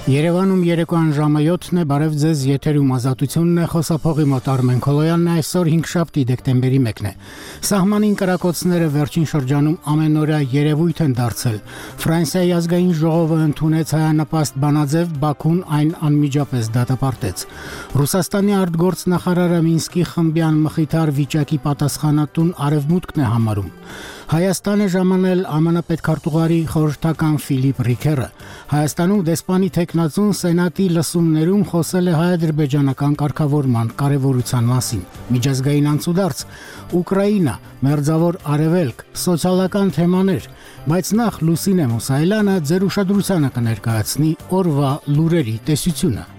Երևանում երեկոյան ժամը 7-ն է, բարև ձեզ, եթերում ազատությունն է, խոսափողի մոտ Արմեն Քոլոյանն է, այսօր 5 դեկտեմբերի 1-ն է։ Սահմանին կրակոցները վերջին շրջանում ամենօրյա երևույթ են դարձել։ Ֆրանսիայի ազգային ժողովը ընդունեց հայանպաստ բանաձև, Բաքուն այն անմիջապես դատապարտեց։ Ռուսաստանի արտգործնախարարը Մինսկի խմբյան մխիթար վիճակի պատասխանատուն Արևմուտքն է համարում։ Հայաստան է ժամանել ԱՄՆ պետքարտուղարի խորհրդական Ֆիլիպ Ռիքերը։ Հայաստանում դեսպանի թեկնածուն Սենատի լսումներում խոսել է հայ-ադրբեջանական կարգավորման կարևորության մասին։ Միջազգային անցուդարձ, Ուկրաինա, Մերձավոր Արևելք, սոցիալական թեմաներ, բայց նախ Լուսինե Մուսայելյանը ձեր ուշադրությանը կներկայացնի օրվա լուրերի տեսությունը։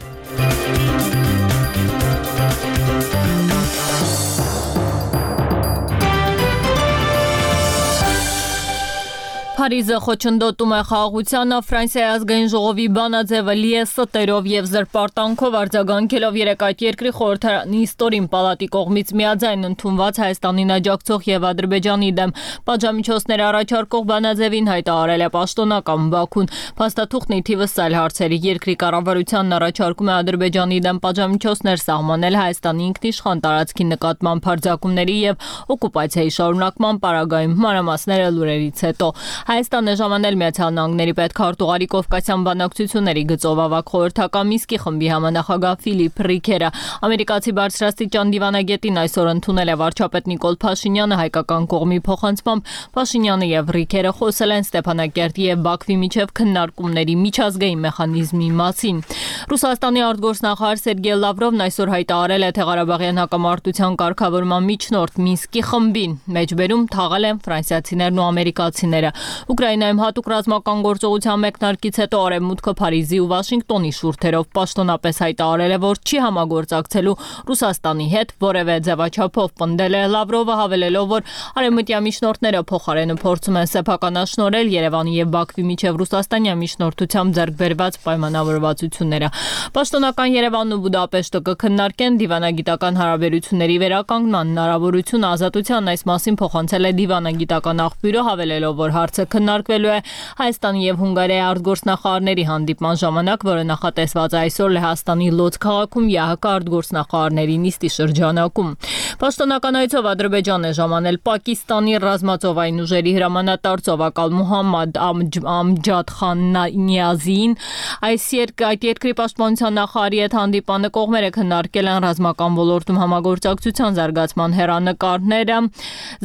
Փարիզը խոչընդոտում է խաղաղությանը, Ֆրանսիայի ազգային ժողովի բանաձևը լի է ստերով եւ զրպարտանքով արձագանքելով երեկ այդ երկրի խորհրդարանի ստորին պալատի կողմից միաձայն ընդունված Հայաստանին աջակցող եւ Ադրբեջանի դեմ պատժամիջոցներ առաջարկող բանաձևին հայտարարել է պաշտոնական Բաքուն։ Փաստաթուղթն ի թիվս այլ հարցերի երկրի կառավարությանն առաջարկում է Ադրբեջանի դեմ պատժամիջոցներ սահմանել Հայաստանի ինքնիշխան տարածքի նկատմամբ հարձակումների եւ օկուպացիայի շարունակման պարագայում։ Մանրամասները լուրերից հետո Հայաստանը ժամանել Միացյալ Նահանգների պետքարտուղարի Կովկասյան բանակցությունների գծով ավագ խորհրդական Մինսկի խմբի համանախագահ Ֆիլիպ Ռիքերը ամերիկացի բարձրաստիճան դիվանագետին այսօր ընդունել է վարչապետ Նիկոլ Փաշինյանը հայկական կողմի փոխանցմամբ Փաշինյանը եւ Ռիքերը խոսել են Ստեփանակերտի եւ Բաքվի միջև քննարկումների միջազգային մեխանիզմի մասին։ Ռուսաստանի արտգործնախարար Սերգեյ Լավրովն այսօր հայտարարել է թե Ղարաբաղյան հակամարտության կարգավորման միջնորդ Մինսկի խմբին մեջբերում թաղել են ֆրանսիացիներն ու ամերիկացիները։ Ուկրաինայում հատուկ ռազմական գործողության մեկնարկից հետո Արևմուտքը Փարիզի ու Վաշինգտոնի շուրթերով պաշտոնապես հայտարարել է, որ չի համագործակցելու Ռուսաստանի հետ որևէ ձևաչափով։ Պնդել է Լավրովը, հավելելով, որ արևմտյան միջնորդները փոխարենը փորձում են սեփականաշնորհել Երևանի եւ Բաքվի միջև ռուսաստանյան միջնորդությամբ ձեռք բերված պայմանավորվածությունները։ Պաշտոնական Երևանն ու Բուդապեշտը կքննարկեն դիվանագիտական հարաբերությունների վերականգնման հնարավորությունը։ Ազատությանն այս մասին փոխանցել է դիվանագիտական աղբյուրը, հավելելով, որ հարցը քննարկվելու է Հայաստանի եւ Հունգարիայի արտգործնախարարների հանդիպման ժամանակ, որը նախատեսված է այսօր Լեհաստանի Լոձ քաղաքում ՀՀԿ արտգործնախարարների նիստի շրջանակում։ Պաշտոնական այցով Ադրբեջանն է ժամանել Պակիստանի ռազմածովային ուժերի հրամանատար ծովակալ Մուհամմադ Ամջադ Խան Նիազին։ Այս երկրի պաշտպանության նախարարի հետ հանդիպանը կողմերը քննարկել են ռազմական ոլորտում համագործակցության զարգացման հեռանկարները։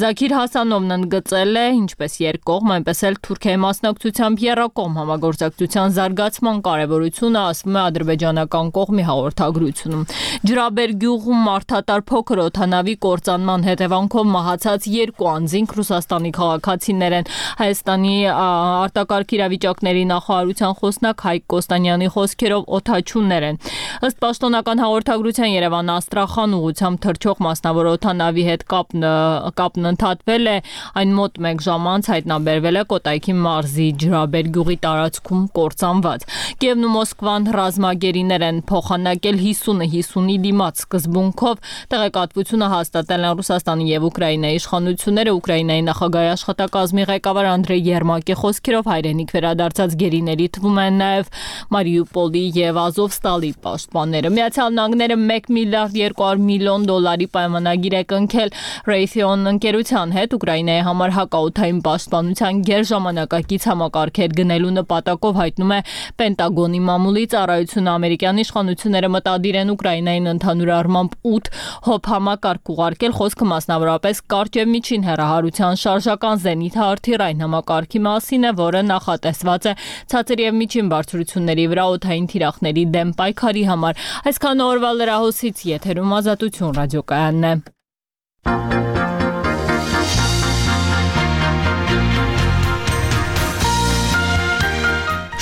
Զաքիր Հասանովն ընդգծել է ինչպես երկկողմ, այնպես էլ Թուրքիայի մասնակցությամբ եռակողմ համագործակցության զարգացման կարևորությունը, ասվում է ադրբեջանական կողմի հաղորդագրությունում։ Ջրաբեր գյուղում մարդատար փոքր օդանավի կործանման հետևանքով մահացած 2 անձինք Ռուսաստանի քաղաքացիներ են։ Հայաստանի արտակարգ իրավիճակների նախարարության խոսնակ Հայկ Կոստանյանի խոսքերով օդաչուներ են։ Ըստ պաշտոնական հաղորդագրության Երևան-Աստրախան ուղղությամբ թռչող մասնավոր օդանավի հետ կապն ընդհատվել է, այն մոտ 1 ժամ անց հայտնաբերվել է Կոտայքի մարզի Ջրաբեր գյուղի տարածքում կործանված։ Կիևն ու Մոսկվան ռազմագերիներ են փոխանակել 50-50-ի դիմաց սկզբունքով։ Տեղեկատվությունը հաստատել են Ռուսաստանի եւ Ուկրաինայի իշխանությունները։ Ուկրաինայի նախագահի աշխատակազմի ղեկավար Անդրեյ Երմակի խոսքերով հայրենիք վերադարձած գերիների թվում են նաեւ Մարիուպոլի եւ Ազովստալի պաշտպանները։ Միացյալ Նահանգները $1 միլիարդ 200 միլիոն պայմանագիր է կնքել Raytheon ընկերության հետ Ուկրաինայի համար հակաօդային պաշտպանության գերժամանակակից համակարգեր գնելու նպատակով, հայտնում է Պենտագոնի մամուլի ծառայությունը։ Ամերիկյան իշխանությունները մտադիր են Ուկրաինային ընդհանուր առմամբ 8 հոբ համակարգ ուղարկել, խոսքը մասնավորապես կարճ եւ միջին հեռահարության շարժական զենիթահրթիռային համակարգի մասին է, որը նախատեսված է ցածր եւ միջին բարձրությունների վրա օդային թիրախների դեմ պայքարի համար։ Այսքան օրվա լրահոսից եթերում Ազատություն ռադիոկայանն է։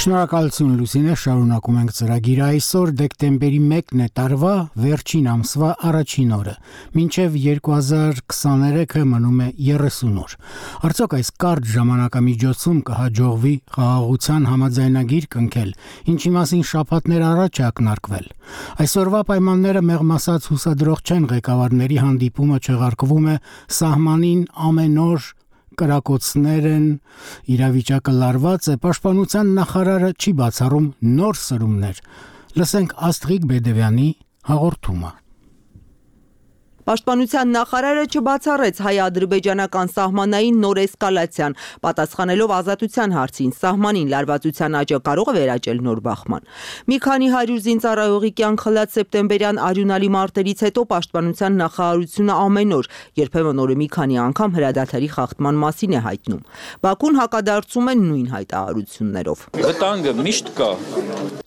Շնորհակալություն Լուսինե, շարունակում ենք ծրագիրը։ Այսօր դեկտեմբերի 1-ն է, տարվա վերջին ամսվա առաջին օրը։ Մինչև 2023-ը մնում է 30 օր։ Արդյոք այս կարճ ժամանակամիջոցում կհաջողվի խաղաղության համաձայնագիր կնքել, ինչի մասին շաբաթներ առաջ է ակնարկվել։ Այսօրվա պայմանները մեղմ ասած հուսադրող չեն, ղեկավարների հանդիպումը չեղարկվում է սահմանին ամեն օր կրակոցներ են, իրավիճակը լարված է, պաշտպանության նախարարը չի բացառում նոր սրումներ։ Լսենք Աստղիկ Բեդևյանի հաղորդումը։ Պաշտպանության նախարարը չբացառեց հայ-ադրբեջանական սահմանային նոր էսկալացիան, պատասխանելով Ազատության հարցին, սահմանին լարվածության աճը կարող է վերաճել նոր բախման։ Մի քանի 100 զինծառայողի կյանք խլած սեպտեմբերյան արյունալի մարտերից հետո պաշտպանության նախարարությունը ամեն օր, երբեմն օրը մի քանի անգամ հրադադարի խախտման մասին է հայտնում։ Բաքուն հակադարձում է նույն հայտարարություններով։ Վտանգը միշտ կա։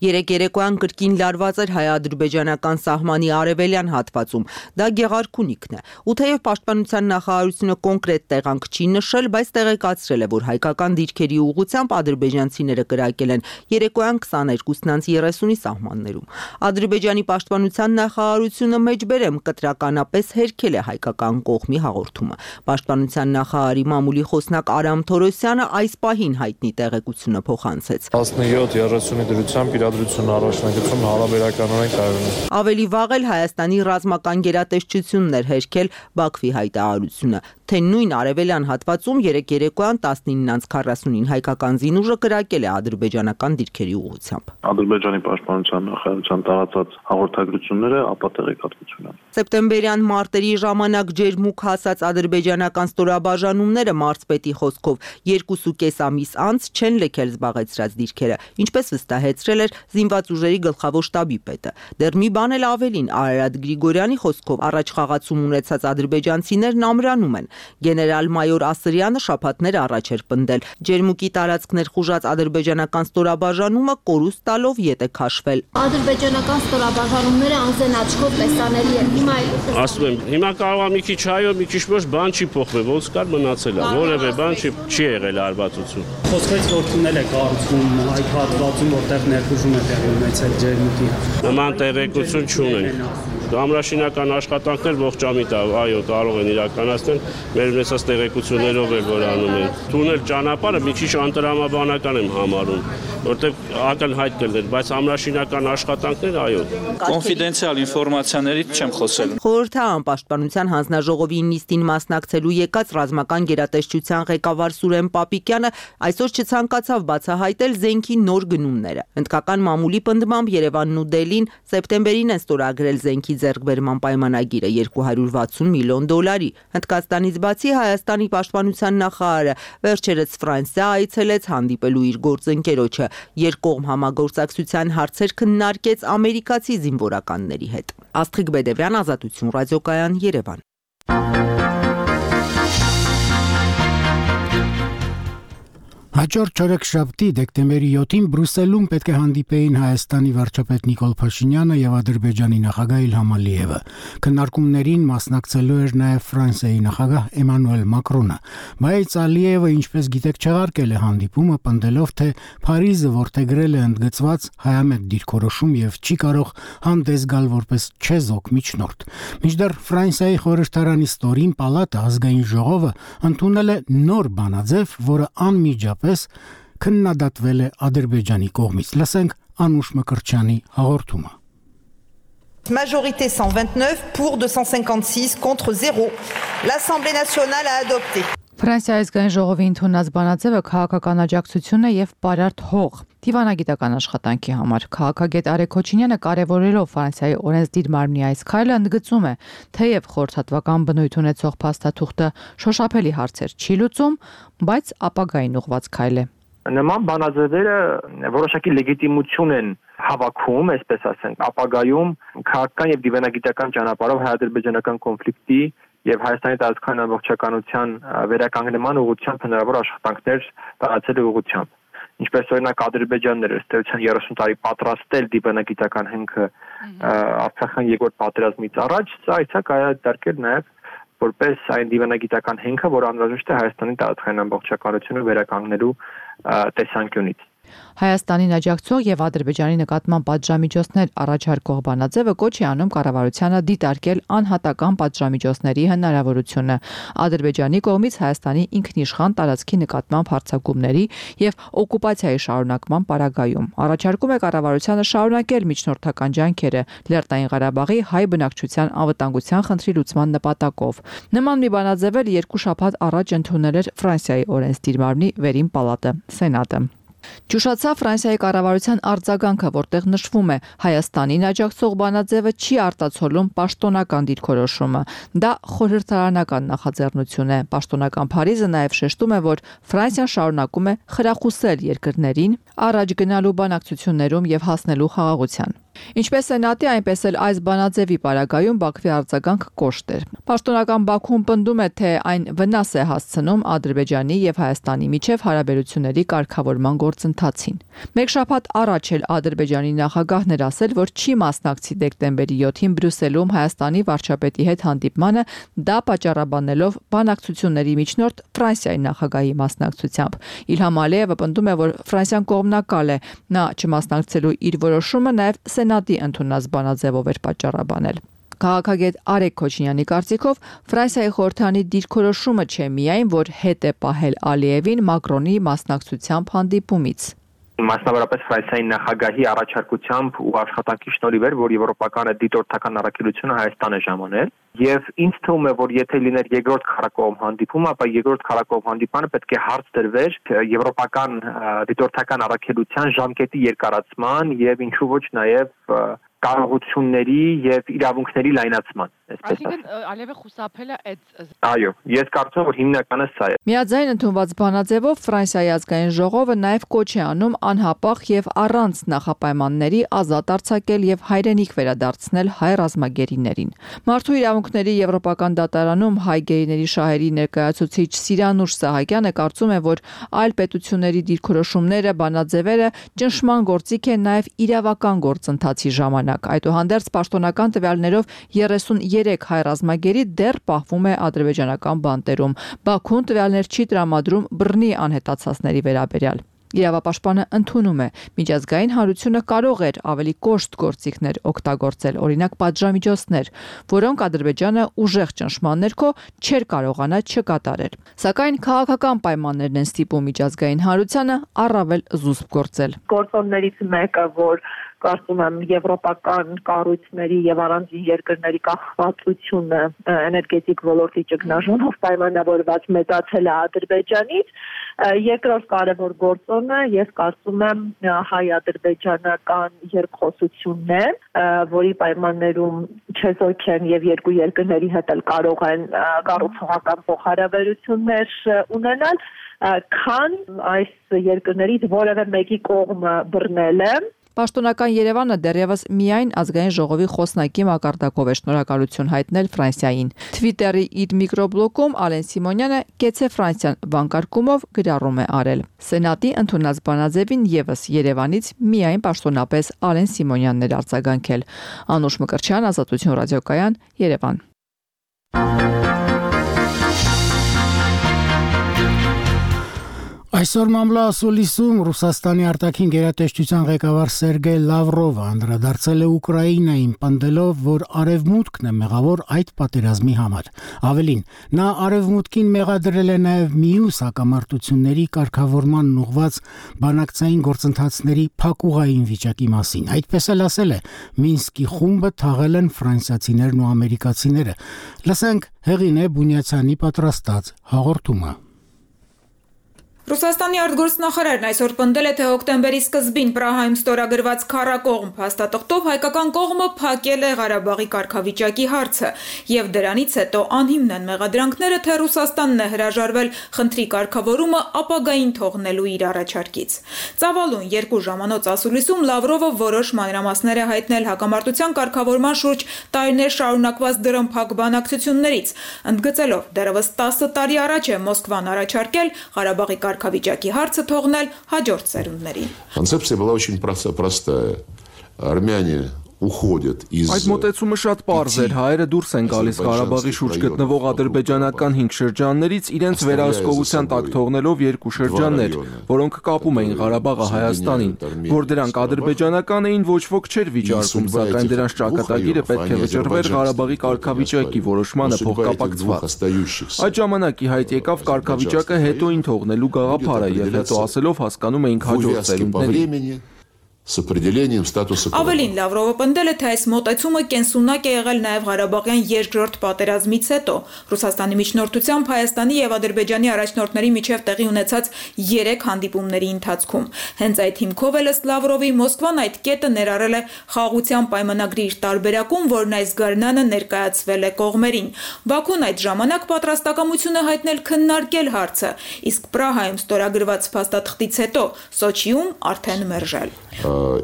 Երեկ երեկոյան կրկին լարված էր հայ-ադրբեջանական սահմանի արևելյան հատվածում։ Դա գեղարքունիքն է։ Ու թեև պաշտպանության նախարարությունը կոնկրետ տեղանք չի նշել, բայց տեղեկացրել է, որ հայկական դիրքերի ուղղությամբ ադրբեջանցիները կրակել են երեկոյան 22:30-ի սահմաններում։ Ադրբեջանի պաշտպանության նախարարությունը մեջբերեմ կտրականապես հերքել է հայկական կողմի հաղորդումը։ Պաշտպանության նախարարի մամուլի խոսնակ Արամ Թորոսյանը այս պահին հայտնի տեղեկությունը փոխանցեց։ 17:30-ի դրությամբ իրադրություն առաջնագծում հարաբերականորեն կայուն է։ Ավելի վաղ էլ Հայաստանի ռազմական գերատեսչությունն էր հերքել Բաքվի հայտարարությունը, թե նույն արևելյան հատվածում երեկ երեկոյան 19:40-ին հայկական զինուժը կրակել է ադրբեջանական դիրքերի ուղղությամբ։ Ադրբեջանի պաշտպանության նախարարության տարածած հաղորդագրությունները ապա տեղեկատվություն են։ Սեպտեմբերյան մարտերի ժամանակ ջերմուկ հասած ադրբեջանական ստորաբաժանումները մարզպետի խոսքով 2.5 ամիս անց չեն լքել զբաղեցրած դիրքերը, ինչպես վստահեցրել էր զինված ուժերի գլխավոր շտաբի պետը։ Դեռ մի բան էլ ավելին, Արարատ Գրիգորյանի խոսքով առաջ խաղացում ունեցած ադրբեջանցիներն ամրանում են։ Գեներալ-մայոր Ասրյանը շաբաթներ առաջ էր պնդել, ջերմուկի տարածքներ խուժած ադրբեջանական ստորաբաժանումը կորուստ տալով ետ է քաշվել։ Ադրբեջանական ստորաբաժանումները անզեն աչքով տեսանելի են։ Ասում եմ, հիմա կարող է մի քիչ հայո, մի քիչ ոչ բան չի փոխվել, ոնց կար մնացել է, որևէ բան չի եղել արվածություն։ Խոսքից որ տունել է կառուցվում այդ հատվածում, որտեղ ներխուժում է տեղի ունեցել ջերմուկի։ Նման տեղեկություն չունեն։ Ամրաշինական աշխատանքներ ողջամիտ է, այո, կարող են իրականացնել, մեր ունեցած տեղեկություններով էլ որ անում են։ Թունել ճանապարհը մի քիչ անտրամաբանական եմ համարում, որտեղ ակնհայտ կլներ, բայց ամրաշինական աշխատանքներ, այո։ Կոնֆիդենցիալ ինֆորմացիաներից չեմ խոսել։ Խորհրդարան պաշտպանության հանձնաժողովի նիստին մասնակցելու եկած ռազմական գերատեսչության ղեկավար Սուրեն Պապիկյանը այսօր չցանկացավ բացահայտել զենքի նոր գնումները։ Հնդկական մամուլի պնդմամբ Երևանն ու Դելին սեպտեմբերին են ստորագրել զենքի ձեռքբերման պայմանագիրը $260 միլիոն։ Հնդկաստանից բացի Հայաստանի պաշտպանության նախարարը վերջերս Ֆրանսիա այցելեց հանդիպելու իր գործընկերոջը, երկկողմ համագործակցության հարցեր քննարկեց ամերիկացի զինվորականների հետ։ Աստղիկ Բեդևյան, Ազատություն ռադիոկայան, Երևան։ Հաջորդ չորեքշաբթի դեկտեմբերի 7-ին Բրյուսելում պետք է հանդիպեին Հայաստանի վարչապետ Նիկոլ Փաշինյանը եւ Ադրբեջանի նախագահ Իլհամ Ալիևը։ Քննարկումներին մասնակցելու էր նաեւ Ֆրանսիայի նախագահ Էմանուել Մակրոնը, բայց Ալիևը, ինչպես գիտեք, չեղարկել է հանդիպումը, պնդելով, թե Փարիզը որդեգրել է ընդգծված հայամետ դիրքորոշում եւ չի կարող հանդես գալ որպես չեզոք միջնորդ։ Մինչդեռ Ֆրանսիայի խորհրդարանի ստորին պալատը ազգային ժողովը ընդունել է նոր բանաձև, որը անմիջապես քննադատվել է Ադրբեջանի կողմից։ Լսենք Անուշ Մկրտչյանի հաղորդումը։ Majorité 129 pour 256 contre 0. L'Assemblée nationale a adopté. Ֆրանսիայի ազգային ժողովի ընդունած բանաձևը քաղաքական աջակցություն է եւ պարարտ հող դիվանագիտական աշխատանքի համար։ Քաղաքագետ Արեգ Քոչինյանը կարևորելով Ֆրանսիայի օրենսդիր մարմնի այս քայլը ընդգծում է, թեև խորհրդատվական բնույթ ունեցող փաստաթուղթը շոշափելի հարցեր չի լուծում, բայց ապագային ուղղված քայլ է։ Նման բանաձևերը որոշակի լեգիտիմություն են հավաքում, այսպես ասենք, ապագայում քաղաքական եւ դիվանագիտական ճանապարհով հայ-ադրբեջանական կոնֆլիկտի եւ Հայաստանի տարածքային ամբողջականության վերականգնման ուղղությամբ հնարավոր աշխատանքներ տարածելու ուղղությամբ։ Ինչպես օրինակ Ադրբեջանն էր ըստ էության 30 տարի պատրաստել դիվանագիտական հենքը Արցախյան երկրորդ պատերազմից առաջ, սա այցա կայացարկել նաեւ որպես այն դիվանագիտական հենքը, որը անհրաժեշտ է Հայաստանի տարածքային ամբողջականությունը վերականգնելու տեսանկյունից։ Հայաստանին աջակցող եւ Ադրբեջանի նկատմամբ պատժամիջոցներ առաջարկող բանաձևը կոչ է անում կառավարությանը դիտարկել անհատական պատժամիջոցների հնարավորությունը Ադրբեջանի կողմից Հայաստանի ինքնիշխան տարածքի նկատմամբ հարձակումների եւ օկուպացիայի շարունակման պարագայում։ Առաջարկում է կառավարությանը շարունակել միջնորդական ջանքերը Լեռնային Ղարաբաղի հայ բնակչության անվտանգության խնդրի լուծման նպատակով։ Նման մի բանաձև էլ 2 շաբաթ առաջ ընդունել էր Ֆրանսիայի օրենսդիր մարմնի վերին պալատը՝ Սենատը։ Ճուշացավ Ֆրանսիայի կառավարության արձագանքը, որտեղ նշվում է Հայաստանին աջակցող բանաձևը չի արտացոլում պաշտոնական դիրքորոշումը։ Դա խորհրդարանական նախաձեռնություն է։ Պաշտոնական Փարիզը նաև շեշտում է, որ Ֆրանսիան շարունակում է խրախուսել երկրներին առաջ գնալու բանակցություններում եւ հասնելու խաղաղության։ Ինչպես Սենատի, այնպես էլ այս բանաձևի պարագայում Բաքվի արձագանք կոշտ էր։ Պաշտոնական Բաքուն պնդում է, թե այն վնաս է հասցնում Ադրբեջանի եւ Հայաստանի միջև հարաբերությունների կարգավորման գործընթացին։ Մեկ շաբաթ առաջ էլ Ադրբեջանի նախագահն էր ասել, որ չի մասնակցի դեկտեմբերի 7-ին Բրյուսելում Հայաստանի վարչապետի հետ հանդիպմանը, դա պատճառաբանելով բանակցությունների միջնորդ Ֆրանսիայի նախագահի մասնակցությամբ։ Իլհամ Ալիևը պնդում է, որ Ֆրանսիան կողմնակալ է, նա չմասնակցելու իր որոշումը նաև Սենատի ընդունած բանաձևով էր պատճառաբանել։ Քաղաքագետ Արեգ Քոչինյանի կարծիքով Ֆրանսիայի խորհրդարանի դիրքորոշումը չէ միայն, որ հետ է պահել Ալիևին Մակրոնի մասնակցությամբ հանդիպումից։ Մասնավորապես Ֆրանսիայի նախագահի առաջարկությամբ ու աշխատանքի շնորհիվ էր, որ եվրոպական դիտորդական առաքելությունը Հայաստանը ժամանել, եւ ինձ թվում է, որ եթե լիներ երկրորդ քառակողմ հանդիպումը, ապա երկրորդ քառակողմ հանդիպանը պետք է հարց դրվեր եվրոպական դիտորդական առաքելության ժամկետի երկարացման եւ ինչու ոչ նաեւ կարողությունների եւ իրավունքների լայնացման, այսպես ասած։ Այսինքն Ալիևը խուսափել է այդ։ Այո, ես կարծում եմ, որ հիմնականը սա է։ Միաձայն ընդունված բանաձևով Ֆրանսիայի ազգային ժողովը նաև կոչ է անում անհապաղ եւ առանց նախապայմանների ազատ արձակել եւ հայրենիք վերադարձնել հայ ռազմագերիներին։ Մարդու իրավունքների եվրոպական դատարանում հայ գերիների շահերի ներկայացուցիչ Սիրանուշ Սահակյանը կարծում է, որ այլ պետությունների դիրքորոշումները, բանաձևերը ճնշման գործիք է նաև իրավական գործընթացի ժամանակ։ Այդուհանդերձ պաշտոնական տվյալներով 33 հայ ռազմագերի դեռ պահվում է ադրբեջանական բանտերում։ Բաքուն տվյալներ չի տրամադրում բռնի անհետացածների վերաբերյալ։ Իրավապաշտպանը ընդունում է, միջազգային հանրությունը կարող էր ավելի կոշտ գործիքներ օգտագործել, օրինակ պատժամիջոցներ, որոնք Ադրբեջանը ուժեղ ճնշման ներքո չէր կարողանա չկատարել։ Սակայն քաղաքական պայմաններն են ստիպում միջազգային հանրությանը առավել զուսպ գործել։ Գործոններից մեկը, որ կարծում եմ եվրոպական կառույցների եւ առանձին երկրների կախվածությունը էներգետիկ ոլորտի ճգնաժամով պայմանավորված մեծացել է Ադրբեջանից։ Երկրորդ կարևոր գործոնը, ես կարծում եմ, հայ-ադրբեջանական երկխոսությունն, որի պայմաններում չեզոք են եւ երկու երկրների հետ էլ կարող են կառուցողական փոխհարաբերություններ ունենալ, քան այս երկրներից որևէ մեկի կողմը բռնել է։ Պաշտոնական Երևանը դեռևս միայն ազգային ժողովի խոսնակի մակարդակով է շնորհակալություն հայտնել Ֆրանսիային։ Թվիտերի իր միկրոբլոգում Ալեն Սիմոնյանը «Կեցե Ֆրանսիան» վանկարկումով գրառում է արել։ Սենատի ընդունած բանաձևին եւս Երևանից միայն պաշտոնապես Ալեն Սիմոնյանն էր արձագանքել։ Անուշ Մկրտչյան, Ազատություն ռադիոկայան, Երևան։ Այսօր Մամլա ասուլիսում Ռուսաստանի արտաքին գերատեսչության ղեկավար Սերգեյ Լավրովը անդրադարձել է Ուկրաինային, պնդելով, որ Արևմուտքն է մեղավոր այդ պատերազմի համար։ Ավելին, նա Արևմուտքին մեղադրել է նաև մյուս հակամարտությունների կարգավորման ուղղված բանակցային գործընթացների փակուղային վիճակի մասին։ Այդպես էլ ասել է, Մինսկի խումբը թաղել են ֆրանսիացիներն ու ամերիկացիները։ Լսենք Հեղինե Բունյացյանի պատրաստած հաղորդումը։ Ռուսաստանի արտգործնախարարն այսօր պնդել է, թե հոկտեմբերի սկզբին Պրահայում ստորագրված քառակողմ փաստաթղթով հայկական կողմը փակել է Ղարաբաղի կարգավիճակի հարցը, եւ դրանից հետո անհիմն են մեղադրանքները, թե Ռուսաստանն է հրաժարվել խնդրի կարգավորումը ապագային թողնելու իր առաջարկից։ Ծավալուն 2 ժամանոց ասուլիսում Լավրովը որոշ մանրամասներ է հայտնել հակամարտության կարգավորման շուրջ տարիներ շարունակված դրամփակ բանակցություններից, ընդգծելով դեռևս 10 տարի առաջ է Մոսկվան առաջարկել Ղարաբաղի կարգավիճակի հարցը թողնել հաջորդ սերունդներին։ Концепция была очень простая. Армяне Այդ մոտեցումը շատ պարզ էր, հայերը դուրս են գալիս Ղարաբաղի շուրջ գտնվող ադրբեջանական 5 շրջաններից, իրենց վերահսկողության տակ թողնելով 2 շրջաններ, որոնք կապում էին Ղարաբաղը Հայաստանին, որ դրանք ադրբեջանական էին, ոչ ոք չէր վիճարկում, սակայն դրանց ճակատագիրը պետք է վճռվեր Ղարաբաղի կարգավիճակի որոշմանը փոխկապակցված։ Այդ ժամանակ ի հայտ եկավ կարգավիճակը հետոին թողնելու գաղափարը եւ հետո ասելով հասկանում էինք հաջորդ սերունդների։ С определением статуса. Ավելին Լավրովը պնդել է, թե այս մոտեցումը կենսունակ է եղել նաև Ղարաբաղյան երկրորդ պատերազմից հետո։ Ռուսաստանի միջնորդությամբ Հայաստանի եւ Ադրբեջանի առաջնորդների միջև տեղի ունեցած 3 հանդիպումների ընթացքում։ Հենց այդ հիմքով էլ ըստ Լավրովի Մոսկվան այդ կետը ներառել է խաղաղության պայմանագրի իր տարբերակում, որն այս գարնանը ներկայացվել է կողմերին։ Բաքուն այդ ժամանակ պատրաստակամություն է հայտնել քննարկել հարցը, իսկ Պրահայում ստորագրված փաստաթղթից հետո Սոչիում արդեն մերժել։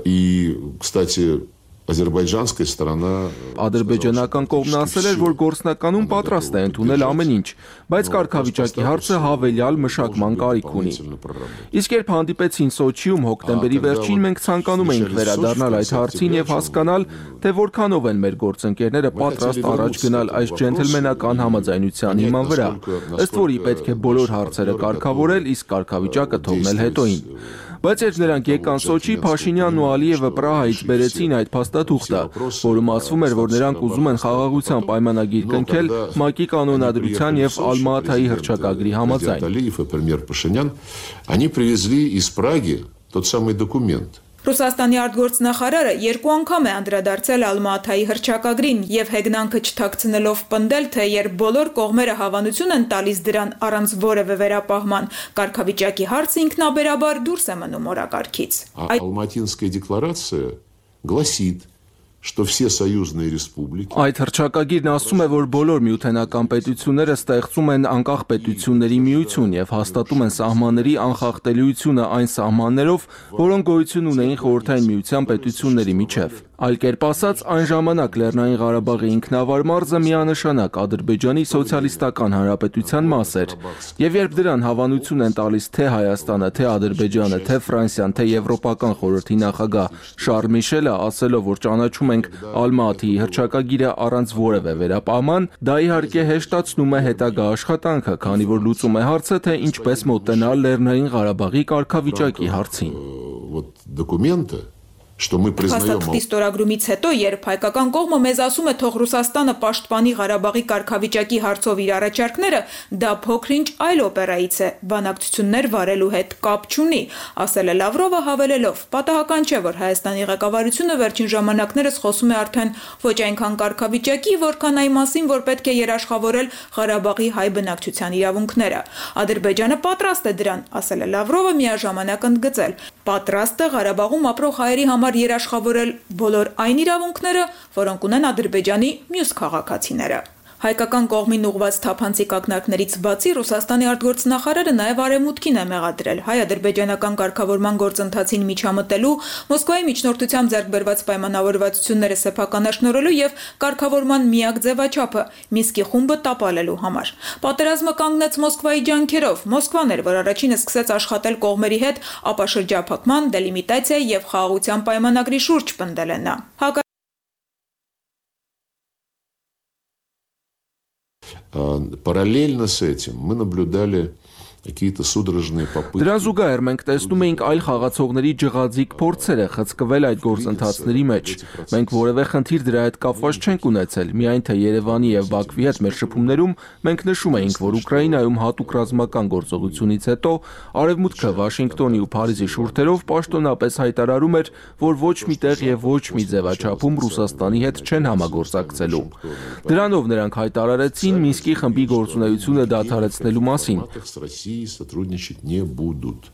И, кстати, Ադրբեջանская сторона Ադրբեջանական կողմն ասել էր, որ գործնականում պատրաստ է ընդունել ամեն ինչ, բայց կարգավիճակի հարցը հավելյալ մշակման կարիք ունի։ Իսկ երբ հանդիպեցին Սոչիում հոկտեմբերի վերջին, մենք ցանկանում էինք վերադառնալ այդ հարցին եւ հասկանալ, թե որքանով են մեր գործընկերները պատրաստ առաջ գնալ այս ջենթլմենական համաձայնության հիման վրա, ըստ որի պետք է բոլոր հարցերը կարգավորել, իսկ կարգավիճակը թողնել հետոին։ Բայց երբ նրանք եկան Սոչի, Փաշինյանն ու Ալիևը Պրահայից բերեցին այդ փաստաթուղթը, որում ասվում էր, որ նրանք ուզում են խաղաղության պայմանագիր կնքել ՄԱԿ-ի կանոնադրության եւ Ալմատայի հռչակագրի համաձայն։ Они привезли из Праги тот самый документ. Ռուսաստանի արտգործնախարարը 2 անգամ է անդրադարձել Ալմատայի հռչակագրին եւ հեգնանքը չթաքցնելով պնդել, թե երբ բոլոր կողմերը հավանություն են տալիս դրան առանց որևէ վերապահման, կարգավիճակի հարցը ինքնաբերաբար դուրս է մնում օրակարգից։ Ալմատինская декларация гласит, что все союзные республики. Այդ հռչակագիրն ասում է, որ բոլոր միութենական պետությունները ստեղծում են անկախ պետությունների միություն եւ հաստատում են սահմանների անխախտելիությունը այն սահմաններով, որոնք գոյություն ունեին խորհրդային միության պետությունների միջև։ Այլ կերպ ասած, այն ժամանակ Լեռնային Ղարաբաղի ինքնավար մարզը միանշանակ Ադրբեջանի սոցիալիստական հանրապետության մաս էր, եւ երբ դրան հավանություն են տալիս թե Հայաստանը, թե Ադրբեջանը, թե Ֆրանսիան, թե Եվրոպական խորհրդի նախագահ Շարլ Միշելը ասելով, որ ճանաչում ենք Ալմատիի հռչակագիրը առանց որևէ վերապահման, դա իհարկե հեշտացնում է հետագա աշխատանքը, քանի որ լուծում է հարցը, թե ինչպես մոտենալ Լեռնային Ղարաբաղի կարգավիճակի հարցին։ Փաստաթղթի ստորագրումից հետո, երբ հայկական կողմը մեզ ասում է, թող Ռուսաստանը պաշտպանի Ղարաբաղի կարգավիճակի հարցով իր առաջարկները, դա փոքր-ինչ այլ օպերայից է, բանակցություններ վարելու հետ կապ չունի, ասել է Լավրովը հավելելով. պատահական չէ, որ Հայաստանի ղեկավարությունը վերջին ժամանակներս խոսում է արդեն ոչ այնքան կարգավիճակի, որքան այն մասին, որ պետք է երաշխավորել Ղարաբաղի հայ բնակչության իրավունքները։ Ադրբեջանը պատրաստ է դրան, ասել է Լավրովը միաժամանակ ընդգծել. պատրաստ է Ղարաբաղում ապրող հայերի համար երաշխավորել բոլոր այն իրավունքները, որոնք ունեն Ադրբեջանի մյուս քաղաքացիները։ Հայկական կողմին ուղղված թափանցիկ ակնարկներից բացի Ռուսաստանի արտգործնախարարը նաև արևմուտքին է մեղադրել հայ-ադրբեջանական կարգավորման գործընթացին միջամտելու, Մոսկվայի միջնորդությամբ ձեռք բերված պայմանավորվածությունները սեփականաշնորհելու եւ կարգավորման միակ ձևաչափը Մինսկի խումբը տապալելու համար։ Պատերազմը կանգնեց Մոսկվայի ջանքերով։ Մոսկվան էր, որ առաջինը սկսեց աշխատել կողմերի հետ, ապա շրջափակման, դելիմիտացիայի եւ խաղաղության պայմանագրի շուրջ պնդել է նա։ Параллельно с этим мы наблюдали какие-то судорожные попытки. Դրան զուգահեռ մենք տեսնում էինք այլ խաղացողների ջղաձիկ փորձերը խցկվել այդ գործընթացների մեջ։ Մենք որևէ խնդիր դրա հետ կապված չենք ունեցել, միայն թե Երևանի եւ Բաքվի հետ մեր շփումներում մենք նշում էինք, որ Ուկրաինայում հատուկ ռազմական գործողությունից հետո Արևմուտքը Վաշինգտոնի ու Փարիզի շուրթերով պաշտոնապես հայտարարում էր, որ ոչ մի տեղ եւ ոչ մի ձևաչափում Ռուսաստանի հետ չեն համագործակցելու։ Դրանով նրանք հայտարարեցին Մինսկի խմբի գործունեությունը դադարեցնելու մասին։ Сотрудничать не будут.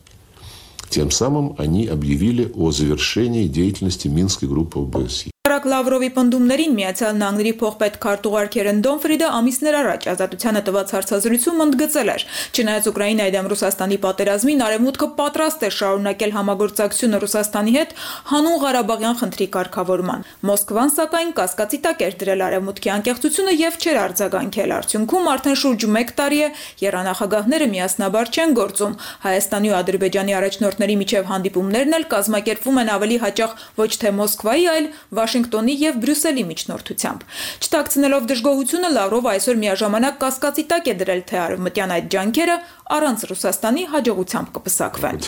Тем самым они объявили о завершении деятельности Минской группы ОБСЕ. Լավրովի պնդումներին Միացյալ Նահանգների փոխպետ քարտուղար Քերեն Դոնֆրիդը ամիսներ առաջ Ազատությանը տված հարցազրույցում ընդգծել էր. չնայած Ուկրաինայի դեմ Ռուսաստանի պատերազմին Արևմուտքը պատրաստ է շարունակել համագործակցությունը Ռուսաստանի հետ հանուն Ղարաբաղյան խնդրի կարգավորման։ Մոսկվան սակայն կասկածի տակ էր դրել Արևմուտքի անկեղծությունը եւ չէր արձագանքել։ Արդյունքում արդեն շուրջ 1 տարի է եռանախագահները միասնաբար չեն գործում։ Հայաստանի ու Ադրբեջանի առաջնորդների միջև հանդիպումներն էլ կազմակերպվում են ավելի հաճախ ոչ թե Մոսկվայի, այլ Վաշինգտոնի Վաշինգտոնի եւ Բրյուսելի միջնորդությամբ։ Չտակցնելով դժգոհությունը Լավրովը այսօր միաժամանակ կասկածի տակ է դրել, թե արևմտյան այդ ջանքերը առանց Ռուսաստանի հաջողությամբ կպսակվեն։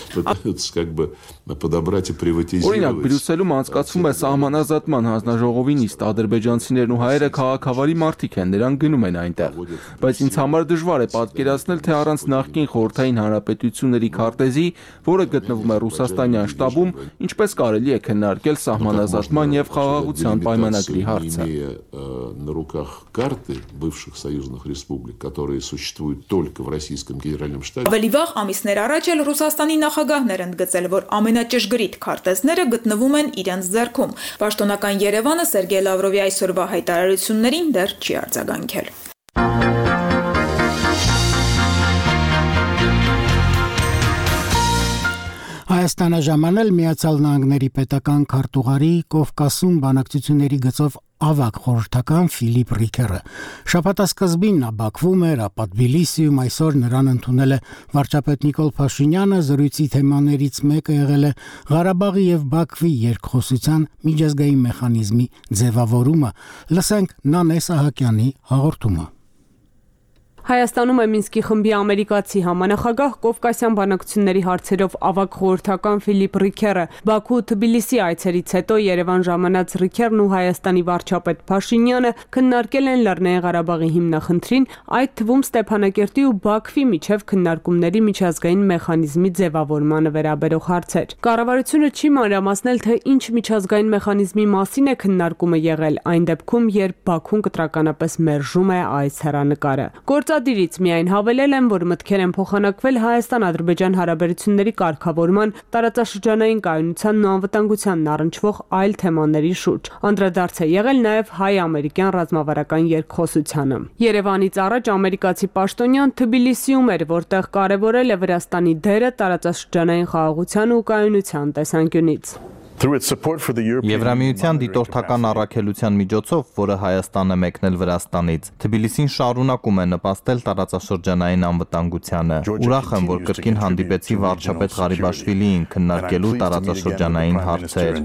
Օրինակ, Բրյուսելում անցկացվում է սահմանազատման հանձնաժողովի նիստ, ադրբեջանցիներն ու հայերը քաղաքավարի մարդիկ են, նրանք գնում են այնտեղ։ Բայց ինձ համար դժվար է պատկերացնել, թե առանց նախկին խորհրդային հանրապետությունների քարտեզի, որը գտնվում է Ռուսաստանյան շտաբում, ինչպես կարելի է քննարկել սահմանազատման եւ խաղաղության պայմանագրի հարցը։ На руках карты бывших союзных республик, которые существуют только в Российском Генеральном штабе. Ավելի վաղ ամիսներ առաջ էլ Ռուսաստանի նախագահներ ընդգծել, որ ամենաճշգրիտ քարտեզները գտնվում են իրենց ձեռքում։ Պաշտոնական Երևանը Սերգեյ Լավրովի այսօրվա հայտարարություններին դեռ չի արձագանքել։ Հայաստանը ժամանել Միացյալ Նահանգների պետական քարտուղարի Կովկասում բանակցությունների գծով ավագ խորհրդական Ֆիլիպ Ռիքերը։ Շաբաթասկզբին նա Բաքվում էր, ապա Թբիլիսիում, այսօր նրան ընդունել է վարչապետ Նիկոլ Փաշինյանը, զրույցի թեմաներից մեկը եղել է Ղարաբաղի եւ Բաքվի երկխոսության միջազգային մեխանիզմի ձևավորումը։ Լսենք Նանե Սահակյանի հաղորդումը։ Հայաստանում է Մինսկի խմբի ամերիկացի համանախագահ Կովկասյան բանակցությունների հարցերով ավագ խորհրդական Ֆիլիպ Ռիքերը։ Բաքու ու Թբիլիսի այցերից հետո Երևան ժամանած Ռիքերն ու Հայաստանի վարչապետ Փաշինյանը քննարկել են Լեռնային Ղարաբաղի հիմնախնդրին, այդ թվում Ստեփանակերտի ու Բաքվի միջև քննարկումների միջազգային մեխանիզմի ձևավորմանը վերաբերող հարցեր։ Կառավարությունը չի մանրամասնել, թե ինչ միջազգային մեխանիզմի մասին է քննարկումը եղել, այն դեպքում, երբ Բաքուն կտրականապես մերժում է այս հեռանկարը։ Գործադիրից միայն հավելել են, որ մտքեր են փոխանակվել Հայաստան-Ադրբեջան հարաբերությունների կարգավորման, տարածաշրջանային կայունությանն ու անվտանգությանն առնչվող այլ թեմաների շուրջ։ Անդրադարձ է եղել նաև հայ-ամերիկյան ռազմավարական երկխոսությանը։ Երևանից առաջ ամերիկացի պաշտոնյան Թբիլիսիում էր, որտեղ կարևորել է Վրաստանի դերը տարածաշրջանային խաղաղության ու կայունության տեսանկյունից։ Եվրամիության դիտորդական առաքելության միջոցով, որը Հայաստանը մեկնել Վրաստանից, Թբիլիսին շարունակում է նպաստել տարածաշրջանային անվտանգությանը։ Ուրախ եմ, որ կրկին հանդիպեցի վարչապետ Ղարիբաշվիլիին քննարկելու տարածաշրջանային հարցեր։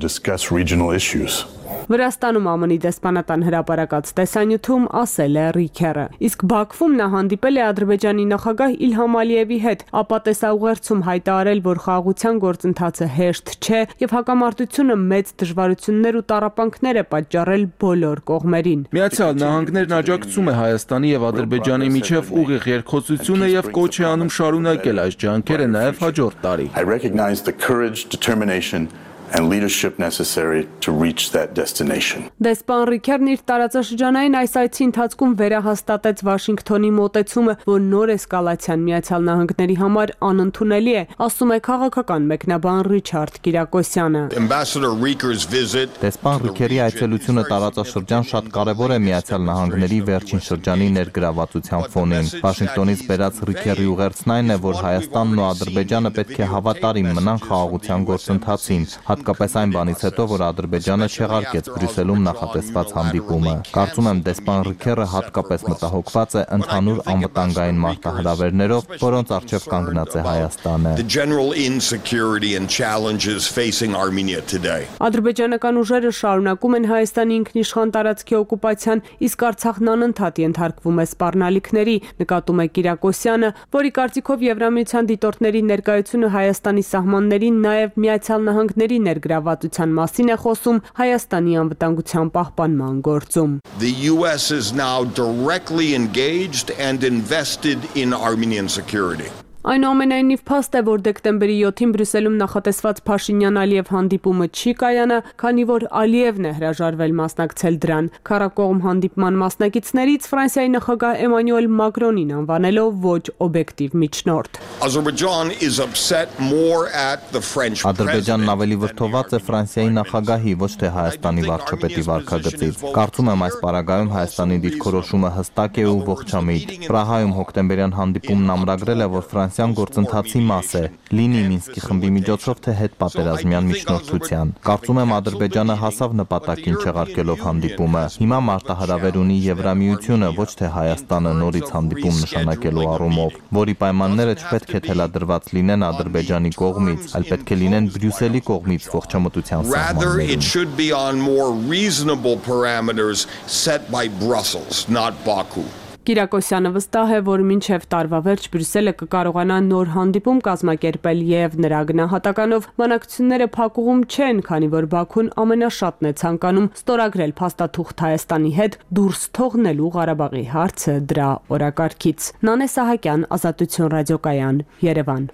Վրաստանում ԱՄՆ-ի դեսպանատան հրապարակած տեսանյութում ասել է Ռիքերը։ Իսկ Բաքվում նա հանդիպել է Ադրբեջանի նախագահ Իլհամ Ալիևի հետ, ապա տեսաուղերձում հայտարարել, որ խաղաղության գործընթացը հեշտ չէ եւ հակամարտությունը մեծ դժվարություններ ու տառապանքներ է պատճառել բոլոր կողմերին։ Միացյալ Նահանգներն աջակցում է Հայաստանի եւ Ադրբեջանի միջև ուղիղ երկխոսությունը եւ կոչ է անում շարունակել այս ջանքերը նաեւ հաջորդ տարի։ and leadership necessary to reach that destination. Դեսպան Ռիքերն իր տարածաշրջանային այս այցի ընթացքում վերահաստատեց Վաշինգտոնի մոտեցումը, որ նոր էսկալացիան Միացյալ Նահանգների համար անընդունելի է, ասում է քաղաքական մեկնաբան Ռիչարդ Կիրակոսյանը։ Դեսպան Ռիքերի այցելությունը տարածաշրջան շատ կարևոր է Միացյալ Նահանգների վերջին շրջանի ներգրավվածության ֆոնին։ Վաշինգտոնից բերած Ռիքերի ուղերձն այն է, որ Հայաստանն ու Ադրբեջանը պետք է հավատարիմ մնան խաղաղության գործընթացին, հատկապես այն բանից հետո, որ Ադրբեջանը չեղարկեց Բրյուսելում նախատեսված հանդիպումը։ Կարծում եմ դեսպան Ռիքերը հատկապես մտահոգված է ընդհանուր անվտանգային մարտահրավերներով, որոնց առջև կանգնած է Հայաստանը։ Ադրբեջանական ուժերը շարունակում են Հայաստանի ինքնիշխան տարածքի օկուպացիան, իսկ Արցախն անընդհատ ենթարկվում է սպառնալիքների, նկատում է Կիրակոսյանը, որի կարծիքով Եվրամիության դիտորդների ներկայությունը Հայաստանի սահմաններին նաև Միացյալ Նահանգների ներգրավվածության մասին է խոսում Հայաստանի անվտանգության պահպանման գործում։ The US is now directly engaged and invested in Armenian security. Այնուամենայնիվ փաստ է, որ դեկտեմբերի 7-ին Բրյուսելում նախատեսված Փաշինյան-Ալիև հանդիպումը չի կայանա, քանի որ Ալիևն է հրաժարվել մասնակցել դրան։ Քառակողմ հանդիպման մասնակիցներից Ֆրանսիայի նախագահ Էմանուել Մակրոնին անվանելով ոչ օբյեկտիվ միջնորդ։ Ադրբեջանն ավելի վրդոված է Ֆրանսիայի նախագահի, ոչ թե Հայաստանի վարչապետի վարքագծից։ Կարծում եմ այս պարագայում Հայաստանի դիրքորոշումը հստակ է ու ողջամիտ։ Պրահայում հոկտեմբերյան հանդիպումն ամրագրել է, որ ինտեգրացիան գործընթացի մաս է, լինի Մինսկի խմբի միջոցով, թե հետպատերազմյան միջնորդության։ Կարծում եմ Ադրբեջանը հասավ նպատակին չեղարկելով հանդիպումը։ Հիմա մարտահրավեր ունի Եվրամիությունը, ոչ թե Հայաստանը նորից հանդիպում նշանակելու առումով, որի պայմանները չպետք է թելադրված լինեն Ադրբեջանի կողմից, այլ պետք է լինեն Բրյուսելի կողմից ողջամտության սահմաններում։ Կիրակոսյանը վստահ է, որ մինչև տարվա վերջ Բրյուսելը կկարողանա նոր հանդիպում կազմակերպել եւ նրա գնահատականով բանակցությունները փակուղում չեն, քանի որ Բաքուն ամենաշատն է ցանկանում ստորագրել փաստաթուղթ Հայաստանի հետ դուրս թողնելու Ղարաբաղի հարցը դրա օրակարգից։ Նանե Սահակյան, Ազատություն ռադիոկայան, Երևան։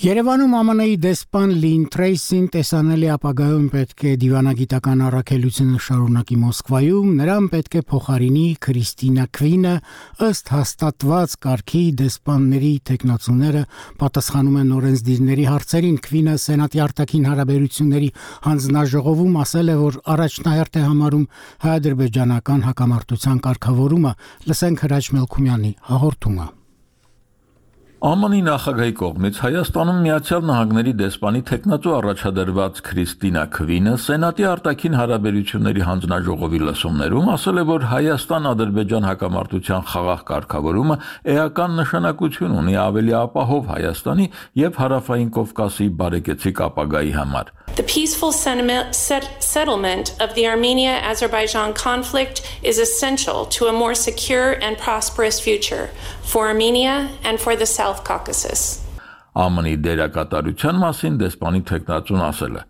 Երևանում ԱՄՆ-ի դեսպան Լին Թրեյսին տեսանելի ապագայում պետք է դիվանագիտական առաքելությունը շարունակի Մոսկվայում, նրան պետք է փոխարինի Քրիստինա Քվինը, ըստ հաստատված կարգի դեսպանների թեկնածուները պատասխանում են օրենսդիրների հարցերին։ Քվինը Սենատի արտաքին հարաբերությունների հանձնաժողովում ասել է, որ առաջնահերթ է համարում հայ-ադրբեջանական հակամարտության կարգավորումը։ Լսենք Հրաչ Մելքումյանի հաղորդումը։ ԱՄՆ-ի նախագահի կողմից Հայաստանում Միացյալ Նահանգների դեսպանի թեկնածու առաջադրված Քրիստինա Քվինը Սենատի արտաքին հարաբերությունների հանձնաժողովի լսումներում ասել է, որ Հայաստան-Ադրբեջան հակամարտության խաղաղ կարգավորումը էական նշանակություն ունի ավելի ապահով Հայաստանի եւ Հարավային Կովկասի բարեկեցիկ ապագայի համար։ The peaceful settlement of the Armenia-Azerbaijan conflict is essential to a more secure and prosperous future for Armenia and for the South Caucasus. ԱՄՆ-ի դերակատարության մասին դեսպանի թեկնածուն ասել է.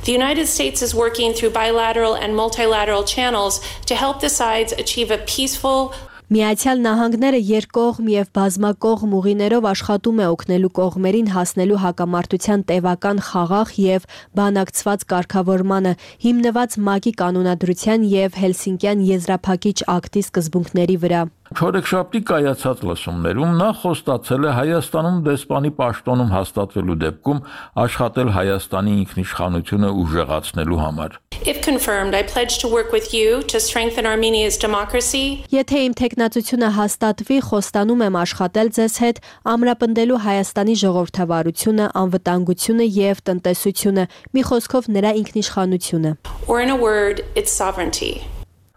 The United States is working through bilateral and multilateral channels to help the sides achieve a peaceful Միացյալ Նահանգները երկկողմ եւ բազմակողմ ուղիներով աշխատում է օգնելու կողմերին հասնելու հակամարտության տևական խաղաղ եւ բանակցված կարգավորմանը, հիմնված ՄԱԿ-ի կանոնադրության եւ Հելսինկյան եզրափակիչ ակտի սկզբունքների վրա։ Չորեքշաբթի կայացած լսումներում նա խոստացել է Հայաստանում դեսպանի պաշտոնում հաստատվելու դեպքում աշխատել Հայաստանի ինքնիշխանությունը ուժեղացնելու համար։ If confirmed, I pledge to work with you to strengthen Armenia's democracy. Եթե իմ թեկնածությունը հաստատվի, խոստանում եմ աշխատել ձեզ հետ, ամրապնդելու Հայաստանի ժողովրդավարությունը, անվտանգությունը եւ տնտեսությունը, մի խոսքով նրա ինքնիշխանությունը։ Or in a word, its sovereignty.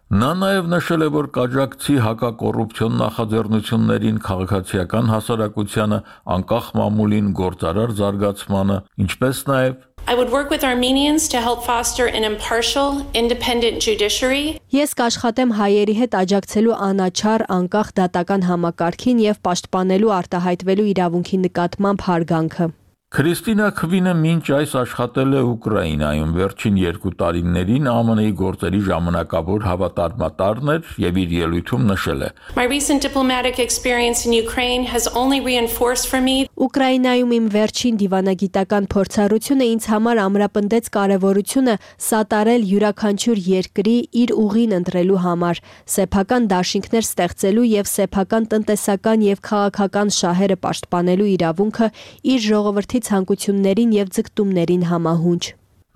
Նա նաև նշել է, որ կաջակցի հակակոռուպցիոն նախաձեռնություններին, քաղաքացիական հասարակությանը, անկախ մամուլին, գործարար զարգացմանը, ինչպես նաև I would work with Armenians to help foster an impartial, independent judiciary. Ես կաշխատեմ հայերի հետ աջակցելու անաչառ, անկախ դատական համակարգին եւ պաշտպանելու արտահայտվելու իրավունքի նկատմամբ հարգանքը։ Քրիստինա Քվինը մինչ այս աշխատել է Ուկրաինայում, վերջին 2 տարիներին ԱՄՆ-ի գործերի ժամանակավոր հավատարմատարն էր եւ իր ելույթում նշել է. My recent diplomatic experience in Ukraine has only reinforced for me. Ուկրաինայում իմ վերջին դիվանագիտական փորձառությունը ինձ համար ամրապնդեց կարևորությունը սատարել յուրաքանչյուր երկրի իր ուղին ընտրելու համար, սեփական դաշինքներ ստեղծելու եւ սեփական տնտեսական եւ քաղաքական շահերը պաշտպանելու իրավունքը իր ժողովրդի ցանկություններին եւ ձգտումներին համահունչ։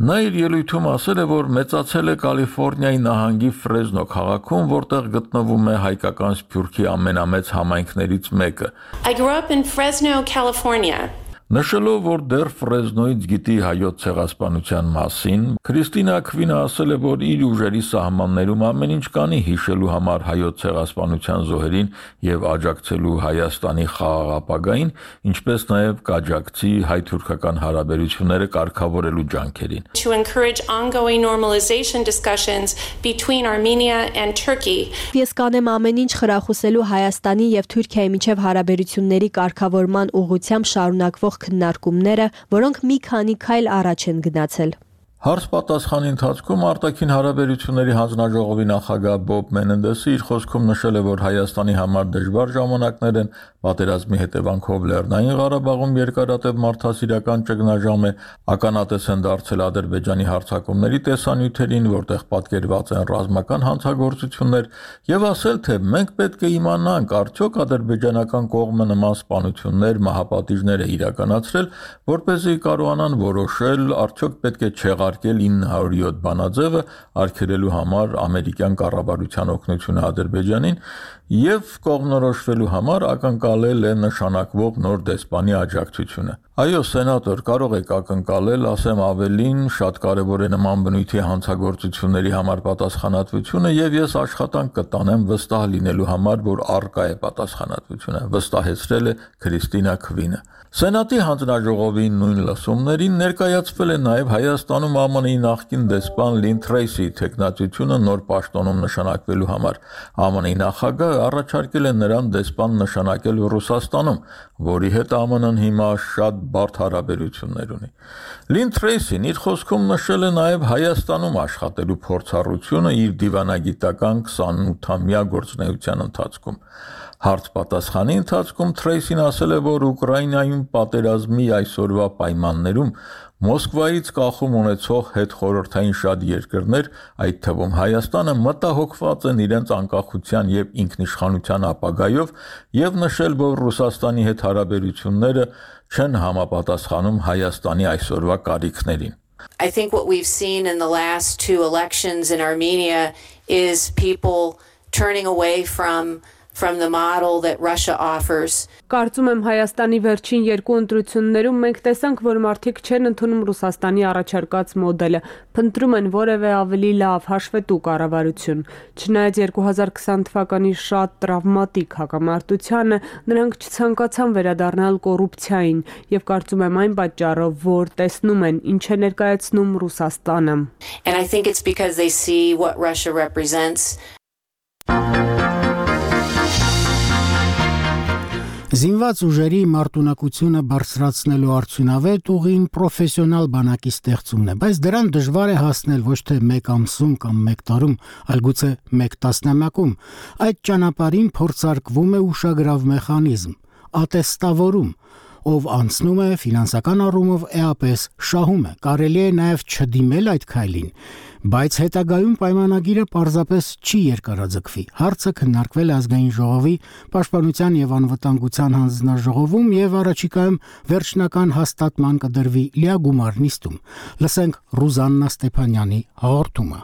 Նա իր ելույթում ասել է, որ մեծացել է Կալիֆոռնիայի նահանգի Ֆրեզնո քաղաքում, որտեղ գտնվում է հայկական սփյուռքի ամենամեծ համայնքներից մեկը։ I grew up in Fresno, California. Նշելով, որ դեռ Ֆրեզնոից գիտի հայոց ցեղասպանության մասին, Քրիստինա Քվինը ասել է, որ իր ուժերի սահմաններում ամեն ինչ կանի հիշելու համար հայոց ցեղասպանության զոհերին եւ աջակցելու Հայաստանի խաղաղ ապագային, ինչպես նաեւ կաջակցի հայ-թուրքական հարաբերությունները կարգավորելու ջանքերին։ To encourage ongoing normalization discussions between Armenia and Turkey. Ես կանեմ ամեն ինչ խրախուսելու Հայաստանի եւ Թուրքիայի միջև հարաբերությունների կարգավորման ուղղությամբ շարունակվող քննարկումները, որոնք մի քանի քայլ առաջ են գնացել։ Հարց պատասխանի ընթացքում արտաքին հարաբերությունների հանձնաժողովի նախագահ Բոբ Մենենդեսը իր խոսքում նշել է, որ Հայաստանի համար դժվար ժամանակներ են, պատերազմի հետևանքով Լեռնային Ղարաբաղում երկարատև մարդասիրական ճգնաժամ է, ականատես են դարձել Ադրբեջանի հարձակումների տեսանյութերին, որտեղ պատկերված են ռազմական հանցագործություններ, եւ ասել, թե մենք պետք է իմանանք, արդյոք ադրբեջանական կողմը նման սպանություններ, մահապատիժներ է իրականացրել, որպեսզի կարողանան որոշել, արդյոք պետք է չեղարկել ուղարկել 907 բանաձևը արգելելու համար ամերիկյան կառավարության օգնությունը Ադրբեջանին եւ կողմնորոշվելու համար ակնկալել է նշանակվող նոր դեսպանի աջակցությունը։ Այո, սենատոր, կարող եք ակնկալել, ասեմ ավելին, շատ կարևոր է նման բնույթի հանցագործությունների համար պատասխանատվությունը եւ ես աշխատանք կտանեմ վստահ լինելու համար, որ առկա է պատասխանատվությունը, վստահեցրել է Քրիստինա Քվինը։ Սենատի հանձնաժողովի նույն լսումներին ներկայացվել է նաև Հայաստանում ԱՄՆ-ի նախկին դեսպան Լին Թրեյսի թեկնածությունը նոր պաշտոնում նշանակվելու համար։ ԱՄՆ-ի նախագահը առաջարկել է նրան դեսպան նշանակել Ռուսաստանում, որի հետ ԱՄՆ-ն հիմա շատ բարդ հարաբերություններ ունի։ Լին Թրեյսին իր խոսքում նշել է նաև Հայաստանում աշխատելու փորձառությունը իր դիվանագիտական 28-ամյա գործունեության ընթացքում։ Հարց պատասխանի ընթացքում Թրեյսին ասել է, որ Ուկրաինայում պատերազմի այսօրվա պայմաններում Մոսկվայից կախում ունեցող հետխորհրդային շատ երկրներ, այդ թվում Հայաստանը, մտահոգված են իրենց անկախության եւ ինքնիշխանության ապագայով եւ նշել, որ Ռուսաստանի հետ հարաբերությունները չեն համապատասխանում Հայաստանի այսօրվա կարիքներին։ I think what we've seen in the last two elections in Armenia is people turning away from the model that Russia offers. Կարծում եմ Հայաստանի վերջին երկու ընտրություններում մենք տեսանք, որ մարդիկ չեն ընդունում Ռուսաստանի առաջարկած մոդելը, փնտրում են որևէ ավելի լավ, հաշվետու կառավարություն։ Չնայած 2020 թվականի շատ տրավմատիկ հակամարտությանը, նրանք չցանկացան վերադառնալ կոռուպցիային եւ կարծում եմ այն պատճառով, որ տեսնում են ինչ է ներկայացնում Ռուսաստանը. And I think it's because they see what Russia represents. Զինված ուժերի մարտունակությունը բարձրացնելու արդյունավետ ուղին պրոֆեսիոնալ բանակի ստեղծումն է, բայց դրան դժվար է հասնել ոչ թե մեկ ամսում կամ մեկ տարում, այլ գուցե մեկ տասնամյակում։ Այդ ճանապարհին փորձարկվում է ուշագրավ մեխանիզմ՝ ատեստավորում, ով անցնում է ֆինանսական առումով էապես շահում է։ Կարելի է նաև չդիմել այդ քայլին, բայց հետագայում պայմանագիրը պարզապես չի երկարաձգվի։ Հարցը քննարկվել է ազգային ժողովի պաշտպանության եւ անվտանգության հանձնաժողովում եւ առաջիկայում վերջնական հաստատման կդրվի լիագումար նիստում։ Լսենք Ռուզաննա Ստեփանյանի հաղորդումը։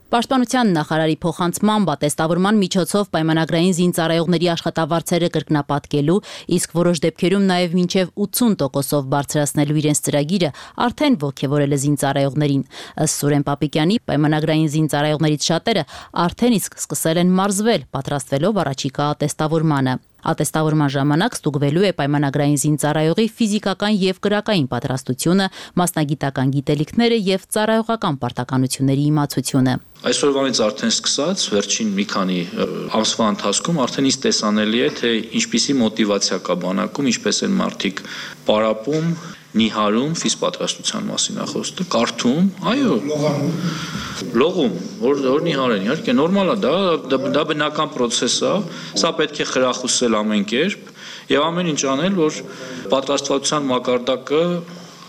Պաշտպանության նախարարի փոխանցմամբ ատեստավորման միջոցով պայմանագրային զինծառայողների աշխատավարձերը կրկնապատկելու, իսկ որոշ դեպքերում նաև մինչև 80%-ով բարձրացնելու իրենց ծրագիրը արդեն ողջևորել է զինծառայողներին։ Ըստ Սուրեն Պապիկյանի, պայմանագրային զինծառայողներից շատերը արդեն իսկ սկսել են մարզվել, պատրաստվելով առաջիկա ատեստավորմանը։ Ատեստավորման ժամանակ ստուգվելու է պայմանագրային զինծառայողի ֆիզիկական եւ կրակային պատրաստությունը, մասնագիտական գիտելիքները եւ ծառայողական պարտականությունների իմացությունը։ Այսօրվանից արդեն սկսած վերջին մի քանի ամսվա ընթացքում արդեն իսկ տեսանելի է, թե ինչպիսի մոտիվացիա կա բանակում, ինչպես են մարդիկ պարապում, նիհարում, ֆիզպատրաստության մասին է խոսքը, կարդում, այո, լողում, որ նիհարեն, իհարկե նորմալ է, դա բնական պրոցես է, սա պետք է խրախուսել ամեն կերպ եւ ամեն ինչ անել, որ պատրաստվածության մակարդակը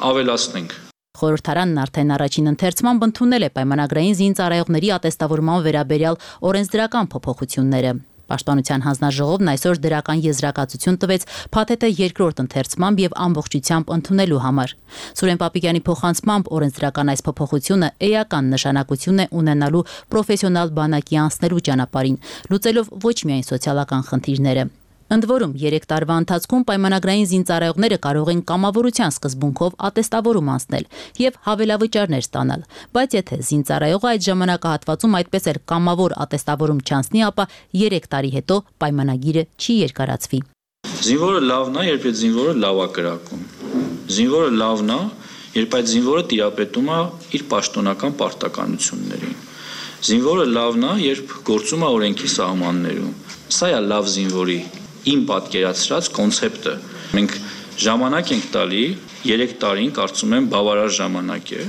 ավելացնենք։ Խորհրդարանն արդեն առաջին ընթերցմամբ ընդունել է պայմանագրային զինծառայողների ատեստավորման վերաբերյալ օրենսդրական փոփոխությունները։ Պաշտպանության հանձնաժողովն այսօր դրական եզրակացություն տվեց փաթեթը երկրորդ ընթերցմամբ եւ ամբողջությամբ ընդունելու համար։ Սուրեն Պապիկյանի փոխանցմամբ օրենսդրական այս փոփոխությունը էական նշանակություն է ունենալու պրոֆեսիոնալ բանակի անցնելու ճանապարհին, լուծելով ոչ միայն սոցիալական խնդիրները։ Ընդ որում 3 տարվա ընթացքում պայմանագրային զինծառայողները կարող են կամավորության սկզբունքով ատեստավորում անցնել եւ հավելավճարներ ստանալ, բայց եթե զինծառայողը այդ ժամանակահատվածում այդպես էլ կամավոր ատեստավորում չանցնի, ապա 3 տարի հետո պայմանագիրը չի երկարացվի։ Զինվորը լավն է, երբ այդ զինվորը լավ է կրակում։ Զինվորը լավն է, երբ այդ զինվորը տիրապետում է իր պաշտոնական պարտականություններին։ Զինվորը լավն է, երբ գործում է օրենքի սահմաններում։ Սա է լավ զինվորի իմ պատկերացրած կոնցեպտը։ Մենք ժամանակ ենք տալի 3 տարին, կարծում եմ բավարար ժամանակ է,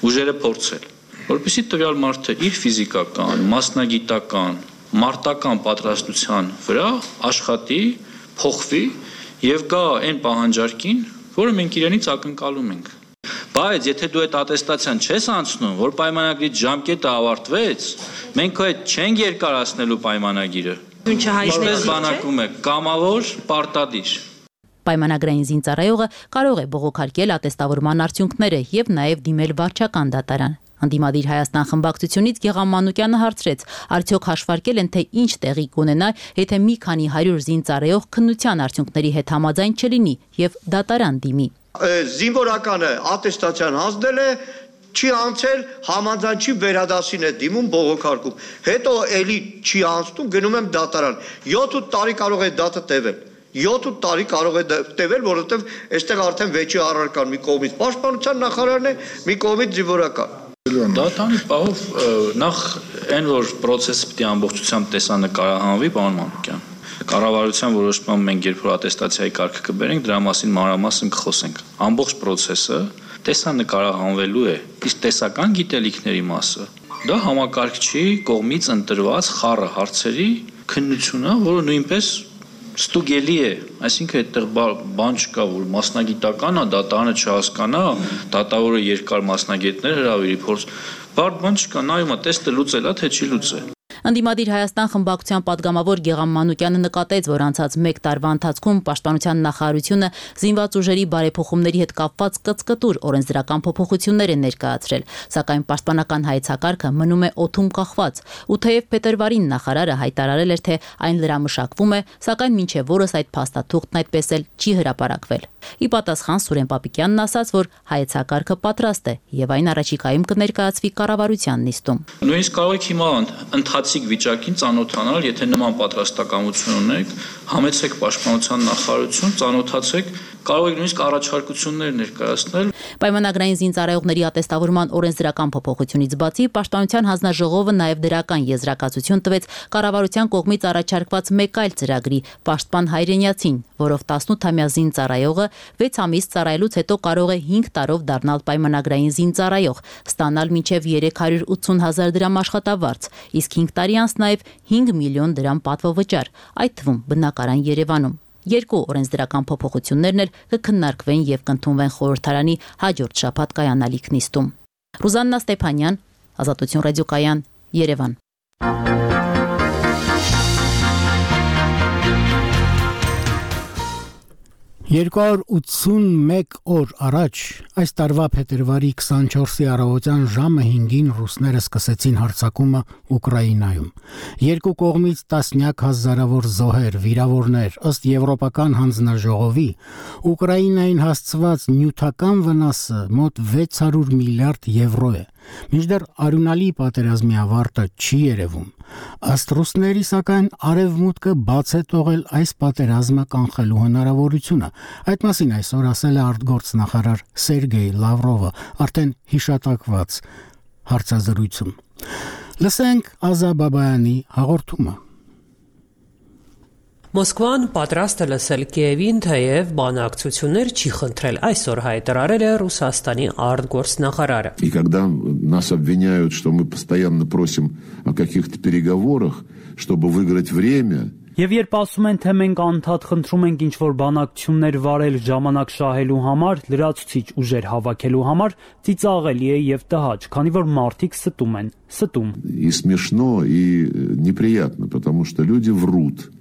ուժերը փորձել, որպեսզի տվյալ մարդը իր ֆիզիկական, մասնագիտական, մարտական պատրաստության վրա աշխատի, փոխվի եւ գա այն պահանջարկին, որը մենք իրենից ակնկալում ենք։ Բայց եթե դու այդ ատեստացիան չես անցնում, որ պայմանագրի ժամկետը ավարտվեց, մենք քո հետ չենք երկարացնելու պայմանագիրը։ Ինչպես բանակում է կամավոր պարտադիր։ Պայմանագրային զինծառայողը կարող է բողոքարկել ատեստավորման արդյունքները եւ նաեւ դիմել վարչական դատարան։ Անդիմադիր Հայաստան խմբակցությունից Գեգամ Մանուկյանը հարցրեց, արդյոք հաշվարկել են, թե ինչ տեղի կունենա, եթե մի քանի 100 զինծառայող քննության արդյունքների հետ համաձայն չլինի եւ դատարան դիմի։ Զինվորականը ատեստացիան հանձնել է, չի անցել, համաձայն չի վերադասին է դիմում բողոքարկում։ Հետո էլի չի անցնում, գնում եմ դատարան։ 7-8 տարի կարող է դատը տևել։ 7-8 տարի կարող է տևել, որովհետև այստեղ արդեն վեճի առարկան մի կողմից պաշտպանության նախարարն է, մի կողմից զինվորական։ Դատարանի պահով նախ այն որ process-ը պիտի ամբողջությամբ տեսանկարահանվի, պարոն Մանուկյան։ Կառավարության որոշմամբ մենք երբ որ ատեստացիայի կարգը կբերենք, դրա մասին մանրամասն կխոսենք։ Ամբողջ process-ը տեսանկարահանվելու է, իսկ տեսական գիտելիքների մասը դա համակարգչի կողմից ընտրված խառը հարցերի քննությունն է, որը նույնպես ստուգելի է, այսինքն այդտեղ բան չկա, որ մասնագիտական է, դատարանը չհասկանա, դատավորը երկար մասնագետներ հրավիրի, փորձ, բարդ բան չկա, նայում է, տեստը լուծել է, թե չի լուծել։ Անդիմադիր Հայաստան խմբակցության падգամավոր Գեգամ Մանուկյանը նկատեց, որ անցած 1 տարվա ընթացքում պաշտպանության նախարարությունը զինված ուժերի բարեփոխումների հետ կապված կծկտուր օրենսդրական փոփոխություններ է ներկայացրել, սակայն պաշտպանական հայեցակարգը մնում է օդում կախված, ու թեև փետրվարին նախարարը հայտարարել էր, թե այն լրամշակվում է, սակայն մինչև օրս այդ փաստաթուղթն այդպես էլ չի հրապարակվել։ Ի պատասխան Սուրեն Պապիկյանն ասաց, որ հայեցակարգը պատրաստ է եւ այն առաջիկայում կներկայացվի կառավարության նիստում։ Նույնիսկ կարող եք հիմա ընթացիկ վիճակին ծանոթանալ, եթե նման պատրաստակամություն ունեք, համեցեք պաշտպանության նախարարություն, ծանոթացեք, կարող եք նույնիսկ առաջարկություններ ներկայացնել։ Պայմանագրային զինծառայողների ատեստավորման օրենսդրական փոփոխությունից բացի պաշտպանության հանձնաժողովը նաև դրական եզրակացություն տվեց կառավարության կողմից առաջարկված մեկ այլ ծրագրի՝ Պաշտպան հայրենիացին, որով 18-ամյա զինծառայողը 6 ամիս ծառայելուց հետո կարող է 5 տարով դառնալ պայմանագրային զինծառայող, ստանալ մինչև 380,000 դրամ աշխատավարձ, իսկ 5 տարի անց նաև 5 միլիոն դրամ պատվովճար, այդ թվում բնակարան Երևանում։ Երկու օրենսդրական փոփոխություններն էլ կքննարկվեն եւ կընդունվեն խորհրդարանի հաջորդ շաբաթ կայանալիք նիստում։ Ռուզաննա Ստեփանյան, Ազատություն ռադիոկայան, Երևան։ 281 օր առաջ, այս տարվա փետրվարի 24-ի առավոտյան ժամը 5-ին ռուսները սկսեցին հարձակումը Ուկրաինայում։ Երկու կողմից տասնյակ հազարավոր զոհեր, վիրավորներ, ըստ Եվրոպական հանձնաժողովի, Ուկրաինային հասցված նյութական վնասը մոտ 600 միլիարդ եվրո է։ Մինչդեռ արյունալի պատերազմի ավարտը չի երևում։ Ըստ ռուսների, սակայն, արևմուտքը բաց է թողել այս պատերազմը կանխելու հնարավորությունը։ Այդ մասին այսօր ասել է արտգործնախարար Սերգեյ Լավրովը, արդեն հիշատակված հարցազրույցում։ Լսենք Ազա Բաբայանի հաղորդումը։ Մոսկվան պատրաստ է լսել Կիևին, թեև բանակցություններ չի խնդրել, այսօր հայտարարել է Ռուսաստանի արտգործնախարարը։ И когда нас обвиняют, что мы постоянно просим о каких-то переговорах, чтобы выиграть время, Եվ երբ ասում են, թե մենք անդադ խնդրում ենք ինչ-որ բանակցություններ վարել ժամանակ շահելու համար, լրացուցիչ ուժեր հավաքելու համար, ծիծաղելի է եւ տհաճ, քանի որ մարդիկ ստում են, ստում։ И смешно, и неприятно, потому что люди врут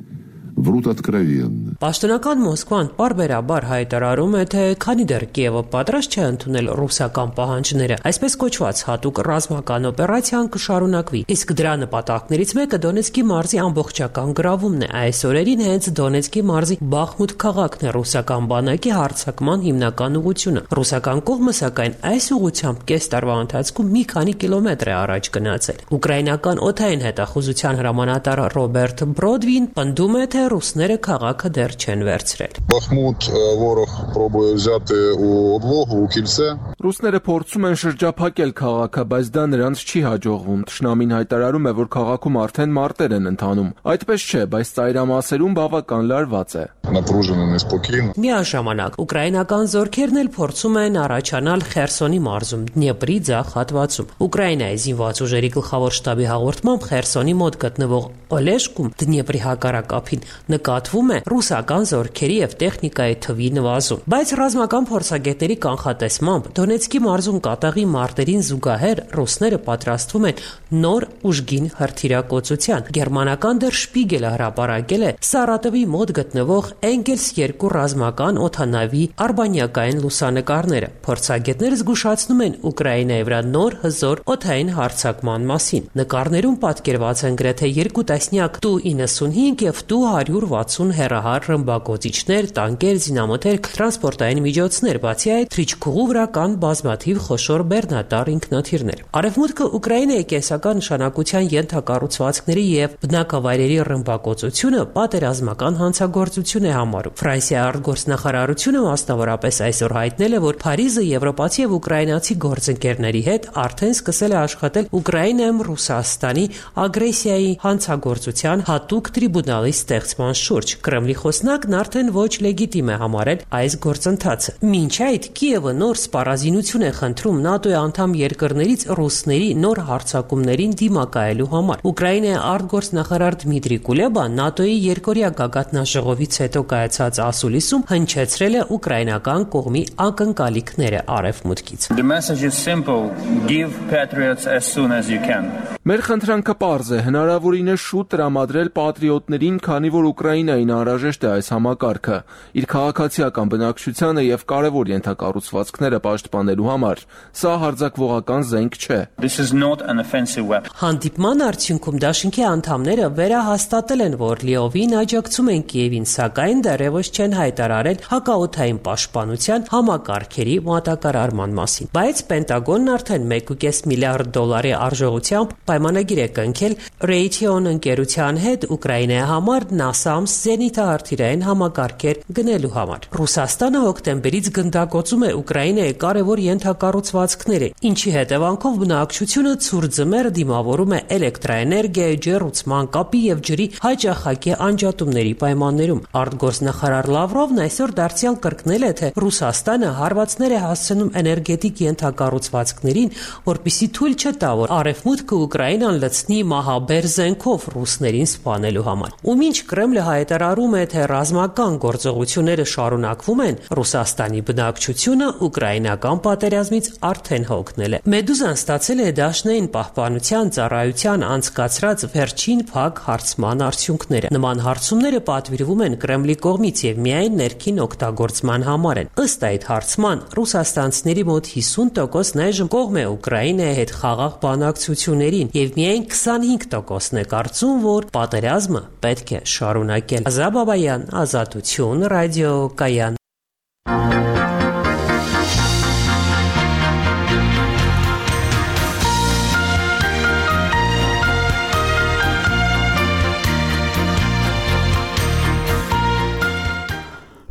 откровенно։ Պաշտոնական Մոսկվան պարբերաբար հայտարարում է, թե քանի դեռ Կիևը պատրաստ չէ ընդունել ռուսական պահանջները, այսպես կոչված հատուկ ռազմական օպերացիան կշարունակվի։ Իսկ դրա նպատակներից մեկը Դոնեցկի մարզի ամբողջական գրավումն է։ Այս օրերին հենց Դոնեցկի մարզի Բախմուտ քաղաքն է ռուսական բանակի հարձակման հիմնական ուղղությունը։ Ռուսական կողմը, սակայն, այս ուղղությամբ կես տարվա ընթացքում մի քանի կիլոմետր է առաջ գնացել։ Ուկրաինական օդային հետախուզության հրամանատար Ռոբերտ Բրոդվին պնդում է, թե ռուսները քաղաքը դեռ չեն վերցրել։ Բախմուտ ворог пробує взяти у облогу, у кільце։ Ռուսները փորձում են շրջափակել քաղաքը, բայց դա նրանց չի հաջողվում։ Թշնամին հայտարարում է, որ քաղաքում արդեն մարտեր են ընթանում։ Այդպես չէ, բայց ծայրամասերում բավական լարված է։ Напружено, неспокійно։ Միաժամանակ ուկրաինական զորքերն էլ փորձում են առաջանալ Խերսոնի մարզում, Դնեպրի ձախ հատվածում։ Ուկրաինայի զինված ուժերի գլխավոր շտաբի հաղորդմամբ Խերսոնի մոտ գտնվող Օլեշկում Դնեպրի հակառակապին նկատվում է ռուսական զորքերի եւ տեխնիկայի թվի նվազում։ Բայց ռազմական փորձագետների կանխատեսմամբ Դոնեցկի մարզում կատաղի մարտերին զուգահեռ ռուսները պատրաստվում են նոր ուժգին հրթիռակոծության։ Գերմանական Der Spiegel-ը հրապարակել է Սարատովի մոտ գտնվող Engels 2 ռազմական օդանավի արբանյակային լուսանկարները։ Փորձագետները զգուշացնում են Ուկրաինայի վրա նոր հզոր օդային հարձակման մասին։ Նկարներում պատկերված են գրեթե 2 տասնյակ Tu-95 եւ Tu-160 հեռահար ռմբակոծիչներ, տանկեր, զինամոթեր, տրանսպորտային միջոցներ, բացի այդ թռիչքուղու վրա կան բազմաթիվ խոշոր բեռնատար ինքնաթիռներ։ Արևմուտքը Ուկրաինայի կենսական նշանակության ենթակառուցվածքների եւ բնակավայրերի ռմբակոծությունը պատերազմական հանցագործություն է համարում։ Ֆրանսիայի արտգործնախարարությունը մասնավորապես այսօր հայտնել է, որ Փարիզը եվրոպացի եւ ուկրաինացի գործընկերների հետ արդեն սկսել է աշխատել Ուկրաինայում Ռուսաստանի ագրեսիայի հանցագործության հատուկ տրիբունալի ստեղծման շուրջ։ Կրեմլի խոսնակն արդեն ոչ լեգիտիմ է համարել այս գործընթացը։ Մինչ այդ Կիևը նոր սպառազինություն է խնդրում ՆԱՏՕ-ի անդամ երկրներից ռուսների նոր հարձակումներին դիմակայելու համար։ Ուկրաինայի արտգործնախարար Դմիտրի Կուլեբան ՆԱՏՕ-ի երկօրյա գագաթնաժողովից հետո կայացած ասուլիսում հնչեցրել է ուկրաինական կողմի ակնկալիքները արևմուտքից։ The message is simple: give patriots as soon as you can. Մեր խնդրանքը պարզ է, հնարավորինս շուտ տրամադրել պատրիոտներին, քանի որ Ուկրաինային անհրաժեշտ է այս համակարգը, իր քաղաքացիական բնակչությանը եւ կարևոր ենթակառուցվածքները պաշտպանելու համար։ Սա հարձակվողական զենք չէ։ This is not an offensive weapon. Հանդիպման արդյունքում դաշինքի անդամները վերահաստատել են, որ լիովին աջակցում են Կիևին, սակայն դեռևս չեն հայտարարել հակաօդային պաշտպանության համակարգերի մատակարարման մասին։ Բայց Պենտագոնն արդեն $1.5 միլիարդ արժողությամբ պայմանագիր է կնքել Raytheon ընկերության հետ Ուկրաինայի համար NASAMS զենիթահրթիռային համակարգեր գնելու համար։ Ռուսաստանը հոկտեմբերից գնդակոծում է Ուկրաինայի կարևոր ենթակառուցվածքները, ինչի հետևանքով բնակչությունը ցուրտզմեր դիմավորում է էլեկտրաէներգիայի, ջեռուցման, կապի եւ ջրի հաճախակի անջատումների պայմաններում։ Արտգործնախարար Լավրովն այսօր դարձյալ կրկնել է, թե Ռուսաստանը հարվածներ է հասցնում էներգետիկ ենթակառուցվածքներին, որպեսզի թույլ չտա, որ արևմուտքը Ուկրաինան լցնի մահաբեր զենքով ռուսներին սպանելու համար։ Ու մինչ Կրեմլը հայտարարում է, թե ռազմական գործողությունները շարունակվում են, Ռուսաստանի բնակչությունը ուկրաինական պատերազմից արդեն հոգնել է։ Մեդուզան ստացել է Դաշնային պահպանության ծառայության անցկացրած վերջին փակ հարցման արդյունքները։ Նման հարցումները պատվիրվում են Կրեմլի կողմից եւ միայն ներքին օգտագործման համար են։ Ըստ այդ հարցման ռուսաստանցիների մոտ 50% այժմ կողմ է Ուկրաինայի հետ խաղաղ բանակցություններին եւ միայն 25%-ն է կարծում, որ պատերազմը պետք է շարունակել։ Ազաբաբայան, Ազատություն, ռադիո Կայան։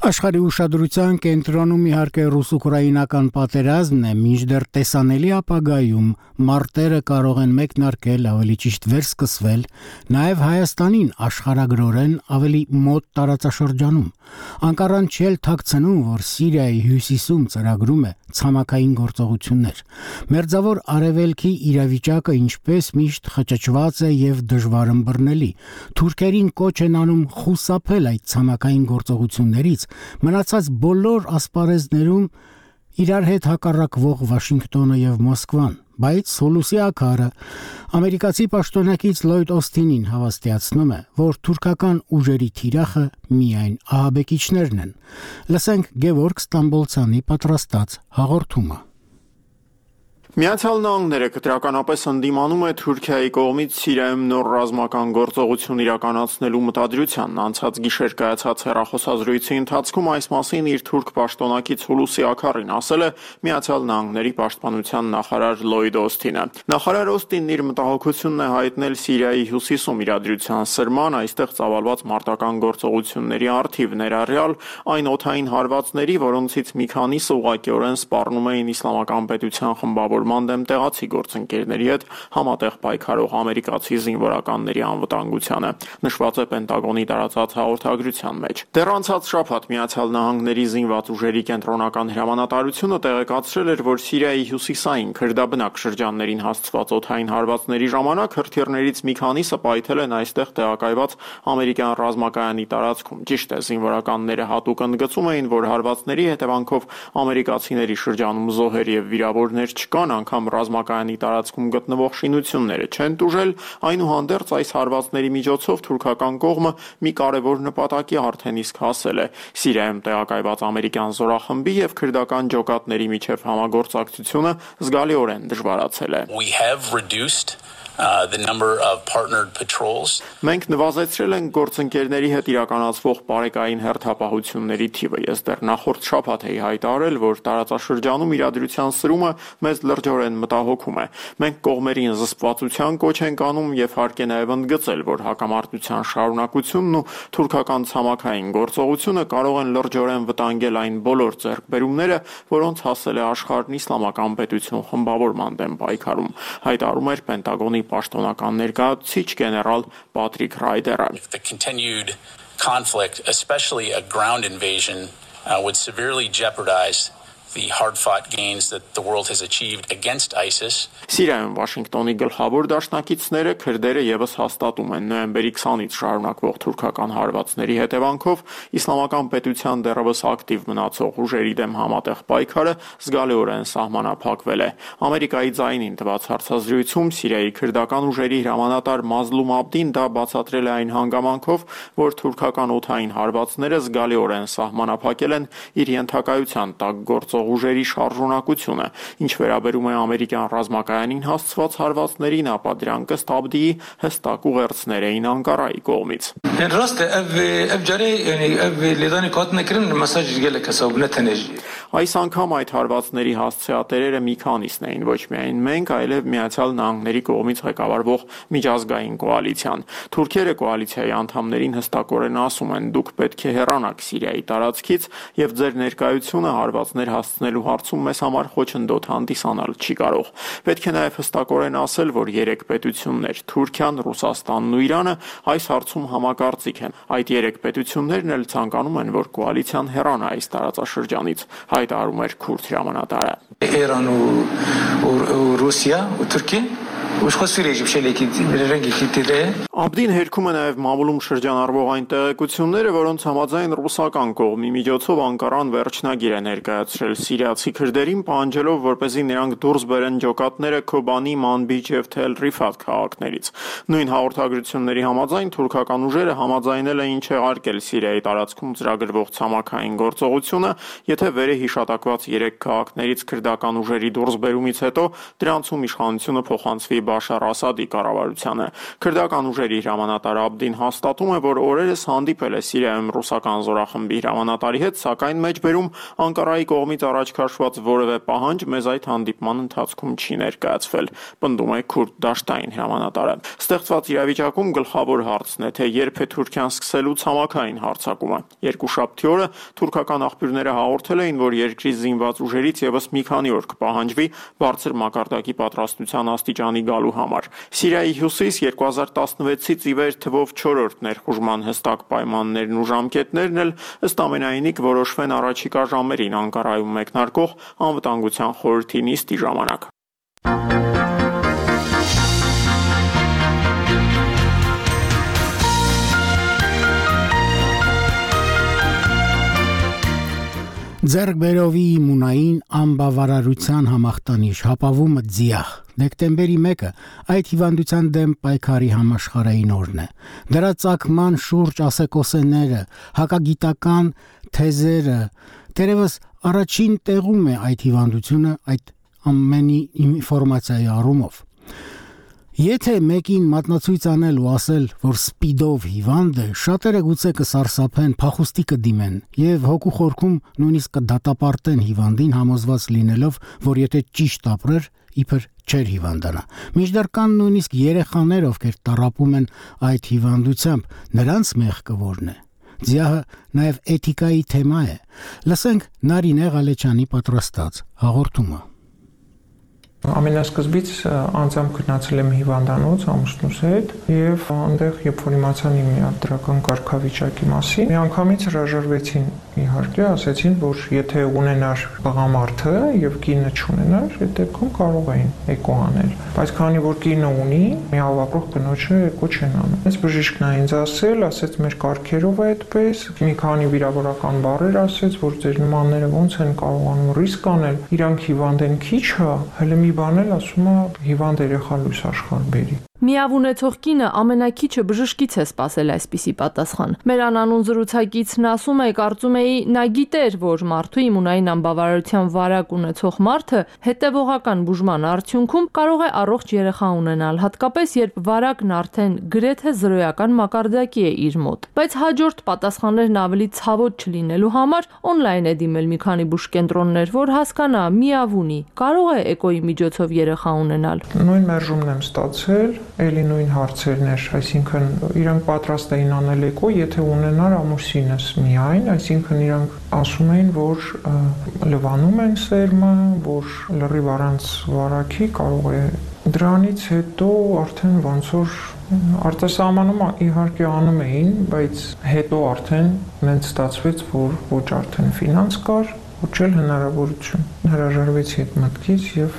Աշխարհի ուշադրության կենտրոնում իհարկե ռուս-ուկրաինական պատերազմն է, մինչդեռ տեսանելի ապագայում մարտերը կարող են մեկնարկել, ավելի ճիշտ վերսկսվել, նաև Հայաստանին աշխարհագրորեն ավելի մոտ տարածաշրջանում։ Անկարան չել թաքցնում, որ Սիրիայի հյուսիսում ծրագրում է ցամաքային գործողություններ։ Մերձավոր արևելքի իրավիճակը ինչպես միշտ խճճված է եւ դժվար ըմբռնելի։ Թուրքերին կոչ են անում խուսափել այդ ցամաքային գործողություններից, մնացած բոլոր ասպարեզներում իրար հետ հակառակվող Վաշինգտոնը եւ Մոսկվան, բայց Սոլուսի ակարը ամերիկացի պաշտոնակից Լոյդ Օսթինին հավաստիացնում է, որ թուրքական ուժերի թիրախը միայն ահաբեկիչներն են։ Լսենք Գևորգ Ստամբոլցյանի պատրաստած հաղորդումը։ Միացյալ Նահանգները կտրականապես ընդդիմանում է Թուրքիայի կողմից Սիրիայում նոր ռազմական գործողություն իրականացնելու մտադրությանն։ Անցած գիշեր կայացած հեռախոսազրույցի ընթացքում այս մասին իր թուրք պաշտոնակից Հուլուսի Աքարին ասել է Միացյալ Նահանգների պաշտպանության նախարար Լոյդ Օսթինը։ Նախարար Օսթինն իր մտահոգությունն է հայտնել Սիրիայի հյուսիսում իրադրության սրման, այստեղ ծավալված մարտական գործողությունների առթիվ ներառյալ այն օդային հարվածների, որոնցից մի քանիսը ուղղակիորեն սպառնում էին իսլամական պետության խմբավոր միավորման դեմ տեղացի գործընկերների հետ համատեղ պայքարող ամերիկացի զինվորականների անվտանգությանը, նշված է Պենտագոնի տարածած հաղորդագրության մեջ։ Դեռ անցած շաբաթ Միացյալ Նահանգների զինված ուժերի կենտրոնական հրամանատարությունը տեղեկացրել էր, որ Սիրիայի հյուսիսային քրդաբնակ շրջաններին հասցված օդային հարվածների ժամանակ հրթիռներից մի քանիսը պայթել են այստեղ տեղակայված ամերիկյան ռազմակայանի տարածքում։ Ճիշտ է, զինվորականները հատուկ ընդգծում էին, որ հարվածների հետևանքով ամերիկացիների շրջանում զոհեր եւ վիրավորներ չկան, անգամ ռազմակայանի տարածքում գտնվող շինությունները չեն տուժել, այնուհանդերձ այս հարվածների միջոցով թուրքական կողմը մի կարևոր նպատակի արդեն իսկ հասել է։ Սիրիայում տեղակայված ամերիկյան զորախմբի եւ քրդական ջոկատների միջև համագործակցությունը զգալիորեն դժվարացել է։ The number of partnered patrols. Մենք նվազեցրել ենք գործընկերների հետ իրականացվող բարեկային հերթապահությունների թիվը։ Ես դեռ նախորդ շաբաթ էի հայտարարել, որ տարածաշրջանում իրադրության սրումը մեզ լրջորեն մտահոգում է։ Մենք կողմերին զսպվածության կոչ ենք անում եւ հարկ է նաեւ ընդգծել, որ հակամարտության շարունակությունն ու թուրքական ցամաքային գործողությունը կարող են լրջորեն վտանգել այն բոլոր ձեռքբերումները, որոնց հասել է աշխարհն իսլամական պետություն խմբավորման դեմ պայքարում, հայտարարում էր Պենտագոնի պաշտոնական ներկայացուցիչ գեներալ Պատրիկ Ռայդերը։ The continued conflict, especially a ground invasion, would severely jeopardize the hard-fought gains that the world has achieved against ISIS. Սիրիայում Վաշինգտոնի գլխավոր դաշնակիցները քրդերը եւս հաստատում են նոյեմբերի 20-ից շարունակվող թուրքական հարվածների հետևանքով իսլամական պետության դեռևս ակտիվ մնացող ուժերի դեմ համատեղ պայքարը զգալիորեն սահմանափակվել է։ Ամերիկայի ձայնին տված հարցազրույցում Սիրիայի քրդական ուժերի հրամանատար Մազլում Աբդին դա բացատրել է այն հանգամանքով, որ թուրքական օդային հարվածները զգալիորեն սահմանափակել են իր ենթակայության տակ գործող ուժերի շարժունակությունը, ինչ վերաբերում է ամերիկյան ռազմակայանին հասցված հարվածներին, ապա դրանք ըստ Աբդիի հստակ ուղերձներ էին Անկարայի կողմից։ Այս անգամ այդ հարվածների հասցեատերերը մի քանիսն էին, ոչ միայն մենք, այլև Միացյալ Նահանգների կողմից ղեկավարվող միջազգային կոալիցիան։ Թուրքերը կոալիցիայի անդամներին հստակորեն ասում են, դուք պետք է հեռանաք Սիրիայի տարածքից եւ ձեր ներկայությունը հարվածներ հասցնելու հարցում մեզ համար խոչընդոտ հանդիսանալ չի կարող։ Պետք է նաև հստակորեն ասել, որ երեք պետություններ՝ Թուրքիան, Ռուսաստանն ու Իրանը այս հարցում համակարծիք են։ Այդ երեք պետություններն էլ ցանկանում են, որ կոալիցիան հեռանա այս տարածաշրջանից, հայտարարում էր քուրդ հրամանատարը։ Իրան ու Ռուսիա ու Թուրքիա Աբդին հերքում է նաև մամուլում շրջանառվող այն տեղեկությունները, որոնց համաձայն ռուսական կողմի միջոցով Անկարան վերջնագիր է ներկայացրել սիրիացի քրդերին, պահանջելով, որպեսզի նրանք դուրս բերեն ջոկատները Քոբանի, Մանբիջ եւ Թել Ռիֆատ քաղաքներից։ Նույն հաղորդագրությունների համաձայն թուրքական ուժերը համաձայնել էին չեղարկել Սիրիայի տարածքում ծրագրվող ցամաքային գործողությունը, եթե վերը հիշատակված 3 քաղաքներից քրդական ուժերի դուրսբերումից հետո դրանցում իշխանությունը փոխանցվի Բաշար Ասադի կառավարությանը։ Քրդական ուժերի հրամանատար Աբդին հաստատում է, որ օրերս հանդիպել է Սիրիայում ռուսական զորախմբի հրամանատարի հետ, սակայն մեջբերում Անկարայի կողմից առաջ քաշված որևէ պահանջ մեզ այդ հանդիպման ընթացքում չի ներկայացվել, պնդում է քուրդ դաշտային հրամանատարը։ Ստեղծված իրավիճակում գլխավոր հարցն է, թե երբ է Թուրքիան սկսելու ցամաքային հարձակումը։ Երկուշաբթի օրը թուրքական աղբյուրները հաղորդել էին, որ երկրի զինված ուժերից եւս մի քանի օր կպահանջվի բարձր մակարդակի պատրաստության աստիճանի գալու համար։ Սիրիայի հյուսիս 2016-ից ի վեր թվով 4-րդ ներխուժման հստակ պայմաններն ու ժամկետներն էլ ըստ ամենայնի կորոշվեն առաջիկա ժամերին Անկարայում մեկնարկող անվտանգության խորհրդի նիստի ժամանակ։ Ձեռքբերովի իմունային անբավարարության համախտանիշ հապավումը ձիախ դեկտեմբերի 1-ը այդ հիվանդության դեմ պայքարի համաշխարհային օրն է։ Դրա ծագման շուրջ ասեկոսեները, հակագիտական թեզերը, դերևս առաջին տեղում է այդ հիվանդությունը այդ ամենի ինֆորմացիայի առումով։ Եթե մեկին մատնացույց անել ու ասել, որ սպիդով հիվանդ է, շատերը գուցե կսարսափեն, փախուստի կդիմեն եւ հոգու խորքում նույնիսկ կդատապարտեն հիվանդին, համոզված լինելով, որ եթե ճիշտ ապրեր, իբր չէր հիվանդանա։ Մինչդեռ կան նույնիսկ երեխաներ, ովքեր տառապում են այդ հիվանդությամբ, նրանց մեղքը որն է։ Ձիահը նաեւ էթիկայի թեմա է։ Լսենք Նարինե Ղալեչյանի պատրաստած հաղորդումը։ Ամենասկզբից անձամբ գնացել եմ հիվանդանոց ամուսնուս հետ եւ այնտեղ երբ որ իմացան իմ դրական կարգավիճակի մասին, միանգամից հրաժարվեցին իհարկե, ասեցին, որ եթե ունենար տղամարդը եւ կինը չունենար, այդ դեպքում կարող էին էկո անել։ Բայց քանի որ կինը ունի, միավ ապրող կնոջը էկո չեն անում։ Այս բժիշկն է ինձ ասեց մեր կարգերով է այդպես, մի քանի վիրավորական բառեր ասեց, որ ձեր նմանները ոնց են կարողանում ռիսկ անել, իրանք հիվանդ են քիչ հա, հələ մի բան էլ ասում է հիվանդ երեխա լույս աշխարհ բերի։ Միավ ունեցող կինը ամենակիչը բժշկից է սպասել այսպիսի պատասխան։ Մեր անանուն զրուցակիցն ասում է, կարծում էի նա գիտեր, որ մարդու իմունային անբավարարության վարակ ունեցող մարդը հետևողական բուժման արդյունքում կարող է առողջ երեխա ունենալ, հատկապես երբ վարակն արդեն գրեթե զրոյական մակարդակի է իր մոտ։ Բայց հաջորդ պատասխաններն ավելի ցավոտ չլինելու համար օնլայն է դիմել մի քանի բուժկենտրոններ, որ հասկանա միավ ունի, կարող է էկոյի միջոցով երեխա ունենալ։ Նույն մերժումն եմ ստացել, էլի նույն հարցերն էր, այսինքն իրանք պատրաստ էին անել էկո, եթե ունենար ամուսինս միայն, այսինքն իրանք ասում էին, որ լվանում են սերմը, որ լրիվ առանց վարակի կարող է։ Դրանից հետո արդեն ոնց որ արտասահմանում իհարկե անում էին, բայց հետո արդեն մենք ստացվեց, որ ոչ արդեն ֆինանս կար, ոչ էլ հնարավորություն։ Հրաժարվեցի այդ մտքից եւ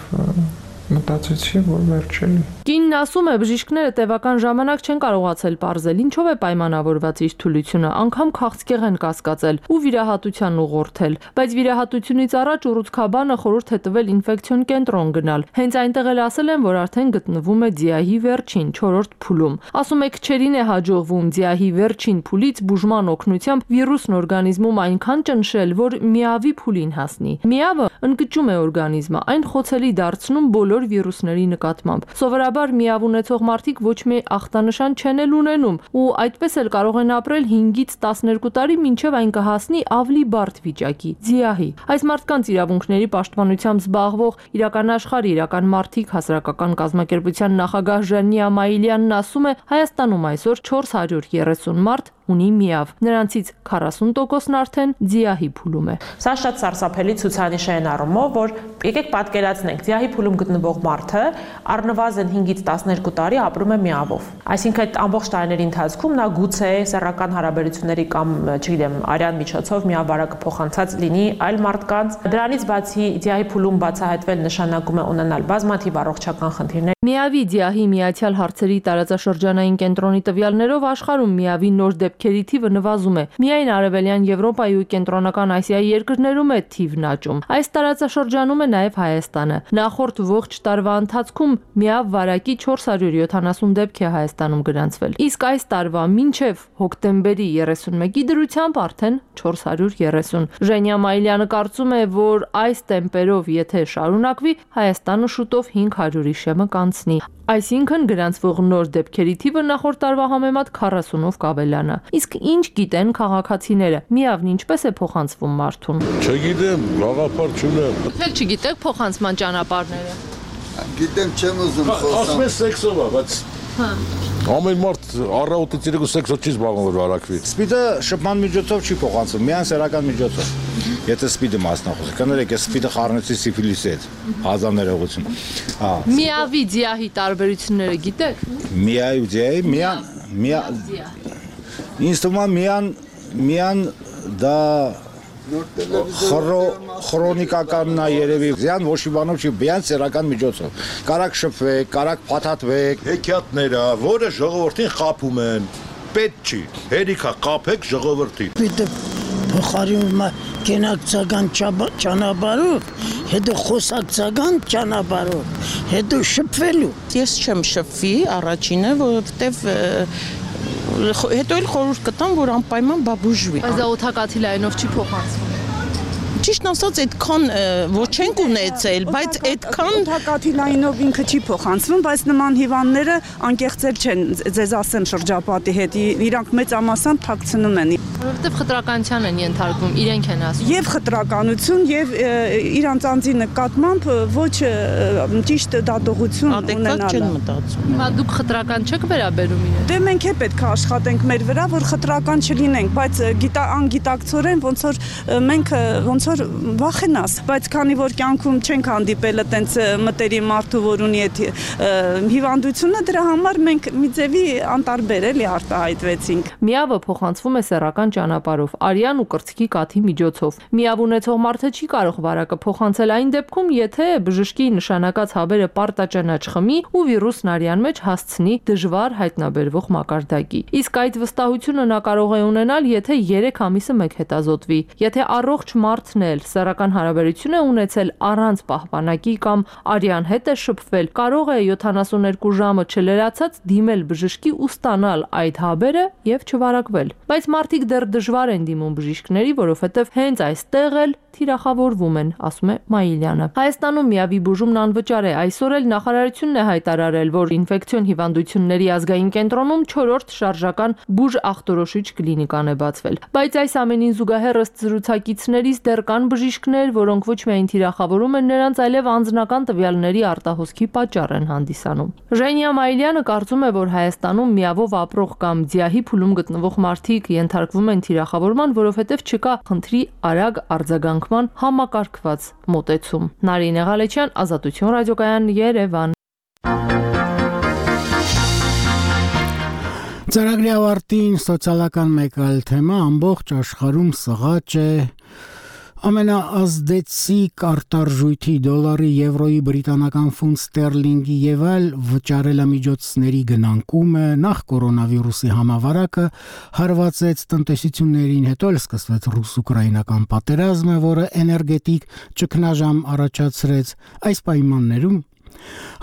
մտածեցի, որ վերջելի։ Կինն ասում է, բժիշկները տևական ժամանակ չեն կարողացել պարզել, ինչով է պայմանավորված իր թուլությունը, անգամ քաղցկեղ են կասկածել ու վիրահատության ուղղորդել, բայց վիրահատությունից առաջ ուռուցքաբանը խորհուրդ է տվել ինֆեկցիոն կենտրոն գնալ։ Հենց այնտեղ էլ ասել են, որ արդեն գտնվում է ձիահի վերջին 4-րդ փուլում։ Ասում է, քչերին է հաջողվում ձիահի վերջին փուլից բուժման օգնությամբ վիրուսն օրգանիզմում այնքան ճնշել, որ միավի փուլին հասնի։ Միավը ընկճում է օրգանիզմը, այն խոցելի դարձնում բոլոր վիրուսների նկատմամբ։ Սովորաբար միավ ունեցող մարդիկ ոչ մի ախտանշան չեն էլ ունենում ու այդպես էլ կարող են ապրել 5-ից 12 տարի, մինչև այն կհասնի ավելի բարդ վիճակի՝ ձիահի։ Այս մարդկանց իրավունքների պաշտպանությամբ զբաղվող իրական մարդիկ հասարակական կազմակերպության նախագահ Ժանի Ամայիլյանն ասում է, Հայաստանում այսօր 430 մարդ ունի միավ, նրանցից 40%-ն արդեն ձիահի փուլում է։ Սա շատ սարսափելի ցուցանիշ է այն առումով, որ եկեք պատկերացնենք, ձիահի փուլում գտնվող մարդը առնվազն 5-ից 12 տարի ապրում է միավով։ Այսինքն այդ ամբողջ տարիների ընթացքում նա գուցե սեռական հարաբերությունների կամ, չգիտեմ, արյան միջոցով միավ վարակը փոխանցած լինի այլ մարդկանց։ Դրանից բացի ձիահի փուլում բացահայտվել նշանակում է ունենալ բազմաթիվ առողջական խնդիրներ։ Միավի ձիահի միացյալ հարցերի տարածաշրջանային կենտրոնի տվյալներով աշխարհում միավի նոր դեպքերի թիվը նվազում է։ Միայն Արևելյան Եվրոպայի ու Կենտրոնական Ասիայի երկրներում է թիվն աճում։ Այս տարածաշրջանում է նաև Հայաստանը։ Նախորդ ողջ տարվա ընթացքում միավ վարակի 470 դեպք է Հայաստանում գրանցվել։ Իսկ այս տարվա մինչև հոկտեմբերի 31-ի դրությամբ արդեն 430։ Ժենյա Մայլյանը կարծում է, որ այս տեմպերով եթե շարունակվի, Հայաստանը շուտով 500-ի շեմը կանցնի։ Այսինքն գրանցվող նոր դեպքերի թիվը նախորդ տարվա համեմատ 40-ով կավելանա։ Իսկ ինչ գիտեն քաղաքացիները, միավն ինչպես է փոխանցվում մարդուն։ Չգիտեմ, գաղափար չունեմ։ Դուք չգիտեք փոխանցման ճանապարհները։ Գիտեմ, չեմ ուզում խոսալ։ Ասում ես սեքսով է, բայց ամեն մարդ առավոտից իրեն սեքսով չի զբաղվում որ վարակվի։ Սպիդը շփման միջոցով չի փոխանցվում, միայն սեռական միջոցով։ Եթե սպիդը մասնախոս, կներեք, ես սպիդը խառնեցի սիֆիլիսի հետ, հազար ներողություն։ Միավի ձիահի տարբերությունները գիտեք։ Միայի ձիահի, ինձ թվում է միան դա քրոնիկականն է երևի։ Զյան ոչ մի բանով չի, միայն սեռական միջոցով։ Կարակ շփվեք, կարակ փաթաթվեք։ Հեքիաթները, որը ժողովրդին խաբում են, պետք չի։ Հերիքա խաբեք ժողովրդին։ Պիտի փոխարինում է կենակցական ճանապարհով, հետո խոսակցական ճանապարհով, հետո շփվելու։ Ես չեմ շփվի առաջինը, որովհետև հետո էլ խորհուրդ կտամ, որ անպայման բաբուժվի։ Բայց դա օդակաթի լայնով չի փոխանցվում։ Ճիշտ ասած, այդքան ոչ չենք ունեցել, բայց այդքան օդակաթի լայնով ինքը չի փոխանցվում, բայց նման հիվանդները անկեղծել չեն, ձեզ ասեմ շրջապատի հետ, իրանք մեծամասամբ թաքցնում են։ Որովհետև խտրականության են ենթարկվում, իրենք են ասում։ Եվ խտրականություն, եւ իրանց անձի նկատմամբ ոչ ճիշտ դատողություն ունենալը։ Չեն մտածում։ Հիմա դուք խտրական չեք վերաբերում իրեն։ Դե մենք է պետք է աշխատենք մեր վրա, որ խտրական չլինենք, բայց անգիտակցորեն ոնց որ մենք ոնց ոնց որ վախենաս, բայց քանի որ կյանքում չենք հանդիպել այտենց մտերիմ մարդու, որ ունի այդ հիվանդությունը, դրա համար մենք մի ձևի անտարբեր էլի արտահայտվեցինք։ Միավը փոխանցվում է սեռական ճանապարհով, արյան ու կրծքի կաթի միջոցով։ Միավ ունեցող մարդը չի կարող վարակը փոխանցել այն դեպքում, եթե բժշկի նշանակած հավերը պարտաճանաչ խմի ու վիրուսն արյան մեջ հասցնի դժվար հայտնաբերվող մակարդակի։ Իսկ այդ վստահությունը նա կարող է ունենալ, եթե 3 ամիսը մեկ հետազոտվի։ Եթե առողջ մարդն էլ սեռական հարաբերություն է ունեցել առանց պահպանակի կամ արյան հետ է շփվել, կարող է 72 ժամը չլրացած դիմել բժշկի ու ստանալ այդ հավերը եւ չվարակվել։ Բայց մարդիկ դեռ դժվար են դիմում բժիշկների, որովհետեւ հենց այստեղ էլ թիրախավորվում են, ասում է Մայիլյանը։ Հայաստանում միավի բուժումն անվճար է։ Այսօր էլ նախարարությունն է հայտարարել, որ ինֆեկցիոն հիվանդությունների ազգային կենտրոնում 4-րդ շարժական բուժ-ախտորոշիչ կլինիկան է բացվել։ Բայց այս ամենին զուգահեռ ըստ զրուցակիցներից դեռ կան բժիշկներ, որոնք ոչ միայն թիրախավորում են նրանց, այլև անձնական տվյալների արտահոսքի պատճառ են հանդիսանում։ Ժենիա Մայիլյանը կարծում է, որ Հայաստանում միավով ապրող կամ ձիահի փուլում գտնվող մարդիկ ենթարկվում են թիրախավորման, որովհետև չկա խնդրի արագ արձագանքման համակարգված մոտեցում։ Նարինե Ղալեչյան, Ազատություն ռադիոկայան, Երևան։ Ծրագրի ավարտին սոցիալական մեկ այլ թեմա ամբողջ աշխարհում սղաճ է ամենաազդեցիկ արտարժույթի դոլարի, եվրոյի, բրիտանական ֆունտ ստերլինգի եւ այլ վճարելամիջոցների գնանկումը նախ կորոնավիրուսի համավարակը հարվածեց տնտեսություններին, հետո էլ սկսվեց ռուս-ուկրաինական պատերազմը, որը էներգետիկ ճգնաժամ առաջացրեց։ Այս պայմաններում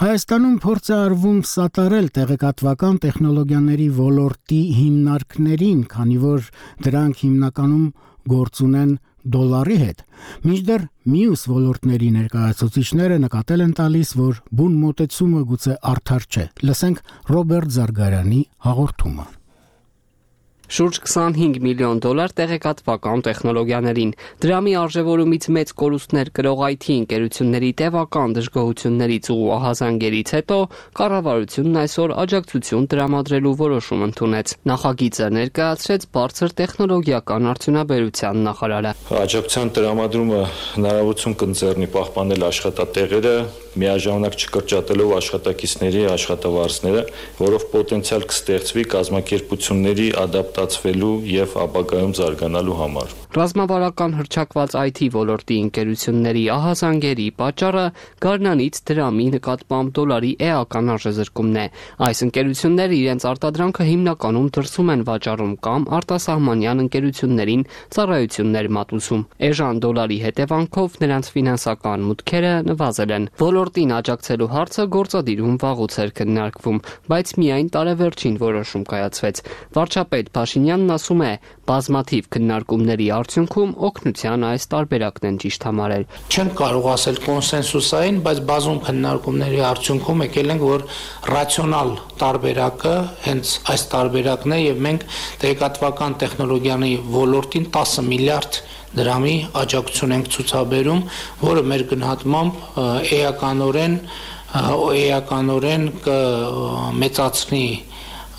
Հայաստանում փորձ է արվում սատարել տեղեկատվական տեխնոլոգիաների ոլորտի հիմնարկներին, քանի որ դրանք հիմնականում գործ ունեն դոլարի հետ։ Մինչդեռ մյուս ոլորտների ներկայացուցիչները նկատել են տալիս, որ բուն մոտեցումը գուցե արդար չէ։ Լսենք Ռոբերտ Զարգարյանի հաղորդումը։ Շուրջ 25 միլիոն դոլար տեղեկատվական տեխնոլոգիաներին։ Դրամի արժևորումից մեծ կորուստներ կրող IT ընկերությունների տևական դժգոհություններից ու ահազանգերից հետո կառավարությունն այսօր աջակցություն տրամադրելու որոշում ընդունեց։ Նախագիծը ներկայացրեց բարձր տեխնոլոգիական արդյունաբերության նախարարը։ Աջակցության տրամադրումը հնարավորություն կընձեռնի պահպանել աշխատատեղերը, միաժամանակ չկրճատելով աշխատակիցների աշխատավարձները, որով պոտենցիալ կստեղծվի կազմակերպությունների ադապտացվելու եւ ապագայում զարգանալու համար։ Ռազմավարական հռչակված IT ոլորտի ընկերությունների ահազանգերի պատճառը գարնանից դրամի նկատմամբ դոլարի էական արժեզրկումն է։ Այս ընկերությունները իրենց արտադրանքը հիմնականում դրսում են վաճառում կամ արտասահմանյան ընկերություններին ծառայություններ մատուցում։ Էժան դոլարի հետևանքով նրանց ֆինանսական մուտքերը նվազել են։ Ոլորտին աջակցելու հարցը գործադիրում վաղուց էր քննարկվում, բայց միայն տարեվերջին որոշում կայացվեց։ Վարչապետ Փաշինյանն ասում է, բազմաթիվ քննարկումների արդյունքում օգնության այս տարբերակն են ճիշտ համարել։ Չեմ կարող ասել կոնսենսուսային, բայց բազում քննարկումների արդյունքում եկել ենք, որ ռացիոնալ տարբերակը հենց այս տարբերակն է եւ մենք տեղեկատվական տեխնոլոգիաների ոլորտին 10 միլիարդ դրամի աջակցություն ենք ցուցաբերում, որը մեր գնահատմամբ էականորեն կմեծացնի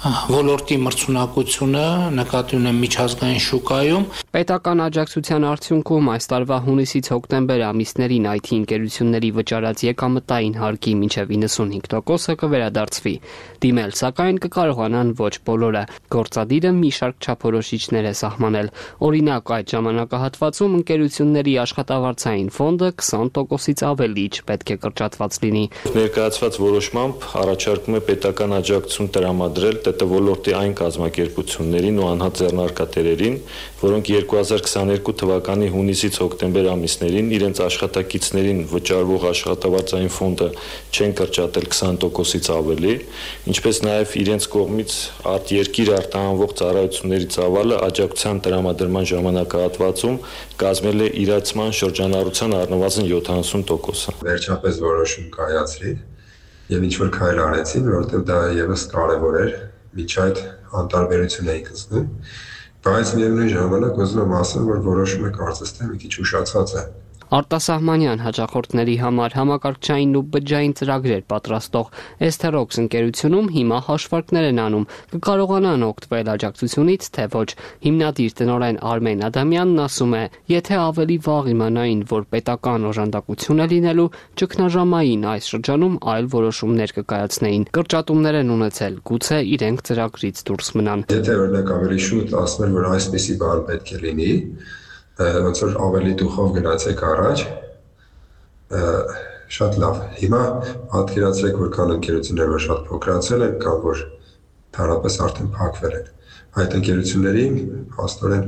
ոլորտի մրցունակությունը նկատի ունեմ միջազգային շուկայում։ Պետական աջակցության արդյունքում այս տարվա հունիսից հոկտեմբեր ամիսներին IT ընկերությունների վճարած եկամտային հարկի մինչև 95%-ը կվերադարձվի։ Դիմել, սակայն կկարողանան ոչ բոլորը։ Գործադիրը մի շարք չափորոշիչներ է սահմանել։ Օրինակ, այդ ժամանակահատվածում ընկերությունների աշխատավարձային ֆոնդը 20%-ից ավելի չպետք է կրճատված լինի։ Ներկայացված որոշմամբ առաջարկում է պետական աջակցություն տրամադրել ՏՏ ոլորտի այն կազմակերպություններին ու անհատ ձեռնարկատերերին, որոնք 2022 թվականի հունիսից հոկտեմբեր ամիսներին իրենց աշխատակիցներին վճարվող աշխատավարձային ֆոնդը չեն կրճատել 20%-ից ավելի, ինչպես նաև իրենց կողմից արտերկիր արտահանվող ծառայությունների ծավալը աջակցության տրամադրման ժամանակահատվածում կազմել է իրացման շրջանառության առնվազն 70%-ը։ Վերջապես որոշում կայացրի եւ ինչ որ քայլ արեցի, որովհետեւ դա եւս կարեւոր էր, միջի այդ անտարբերություն էի զգում, բայց միևնույն ժամանակ ուզում եմ ասել, որ որոշումը կարծես թե մի քիչ ուշացած է։ Արտասահմանյան հաճախորդների համար համակարգչային ու բջջային ծրագրեր պատրաստող Esterox ընկերությունում հիմա հաշվարկներ են անում, կկարողանան օգտվել աջակցությունից, թե ոչ։ Հիմնադիր տնօրեն Արմեն Ադամյանն ասում է, եթե ավելի վաղ իմանային, որ պետական օժանդակություն է լինելու, ճգնաժամային այս շրջանում այլ որոշումներ կկայացնեին։ Կրճատումներ են ունեցել, գուցե իրենք ծրագրից դուրս մնան։ Եթե օրինակ ավելի շուտ ասներ, որ այսպիսի բան պետք է լինի, ոնց որ ավելի դուխով գնացեք առաջ, շատ լավ։ Հիմա պատկերացրեք, որ կան ընկերություններ, որ շատ փոքրացել են կամ որ թարապես արդեն փակվել են։ Այդ ընկերությունների փաստորեն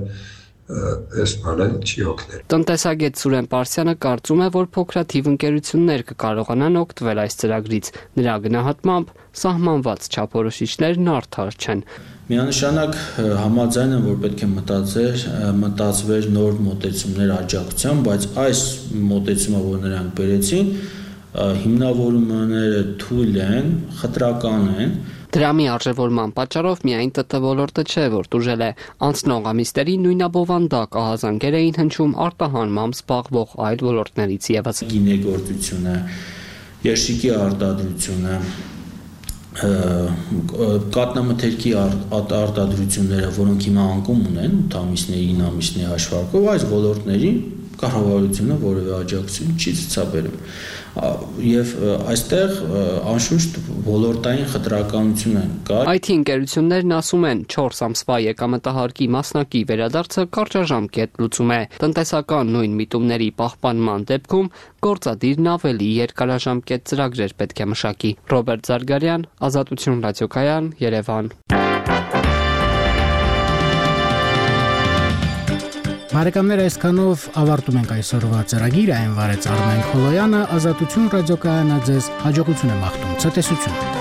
այս բանը չի օգնել։ Տնտեսագետ Սուրեն Պարսյանը կարծում է, որ փոքրաթիվ ընկերություններ կկարողանան օգտվել այս ծրագրից։ Նրա գնահատմամբ սահմանված չափորոշիչներն արդար չեն։ Միանշանակ համաձայն եմ, որ պետք է մտածվեր նոր մոտեցումներ աջակցության, բայց այս մոտեցումը, որ նրանք բերեցին, հիմնավորումները թույլ են, խտրական են։ Դրամի արժևորման պատճառով միայն ՏՏ ոլորտը չէ, որ տուժել է։ Անցնող ամիսների նույնաբովանդակ ահազանգեր էին հնչում արտահանմամբ զբաղվող այլ ոլորտներից ևս։ Գինեգործությունը, երշիկի արտադրությունը, կատնամթերքի արտադրությունները, որոնք հիմա անկում ունեն 8 ամիսների, 9 ամիսների հաշվարկով, այս ոլորտներին կառավարությունը որևէ աջակցություն չի ցուցաբերում։ Եվ այստեղ անշուշտ ոլորտային խտրականություն կա։ IT ընկերություններն ասում են 4 ամսվա եկամտահարկի մասնակի վերադարձը կարճաժամկետ լուծում է։ Տնտեսական նույն միտումների պահպանման դեպքում գործադիրն ավելի երկարաժամկետ ծրագրեր պետք է մշակի։ Ռոբերտ Զարգարյան, Ազատություն ռադիոկայան, Երևան։ Բարեկամներ, այսքանով ավարտում ենք այսօրվա ծրագիրը, այն վարեց Արմեն Քոլոյանը, Ազատություն ռադիոկայանը ձեզ հաջողություն է մաղթում, ցտեսություն։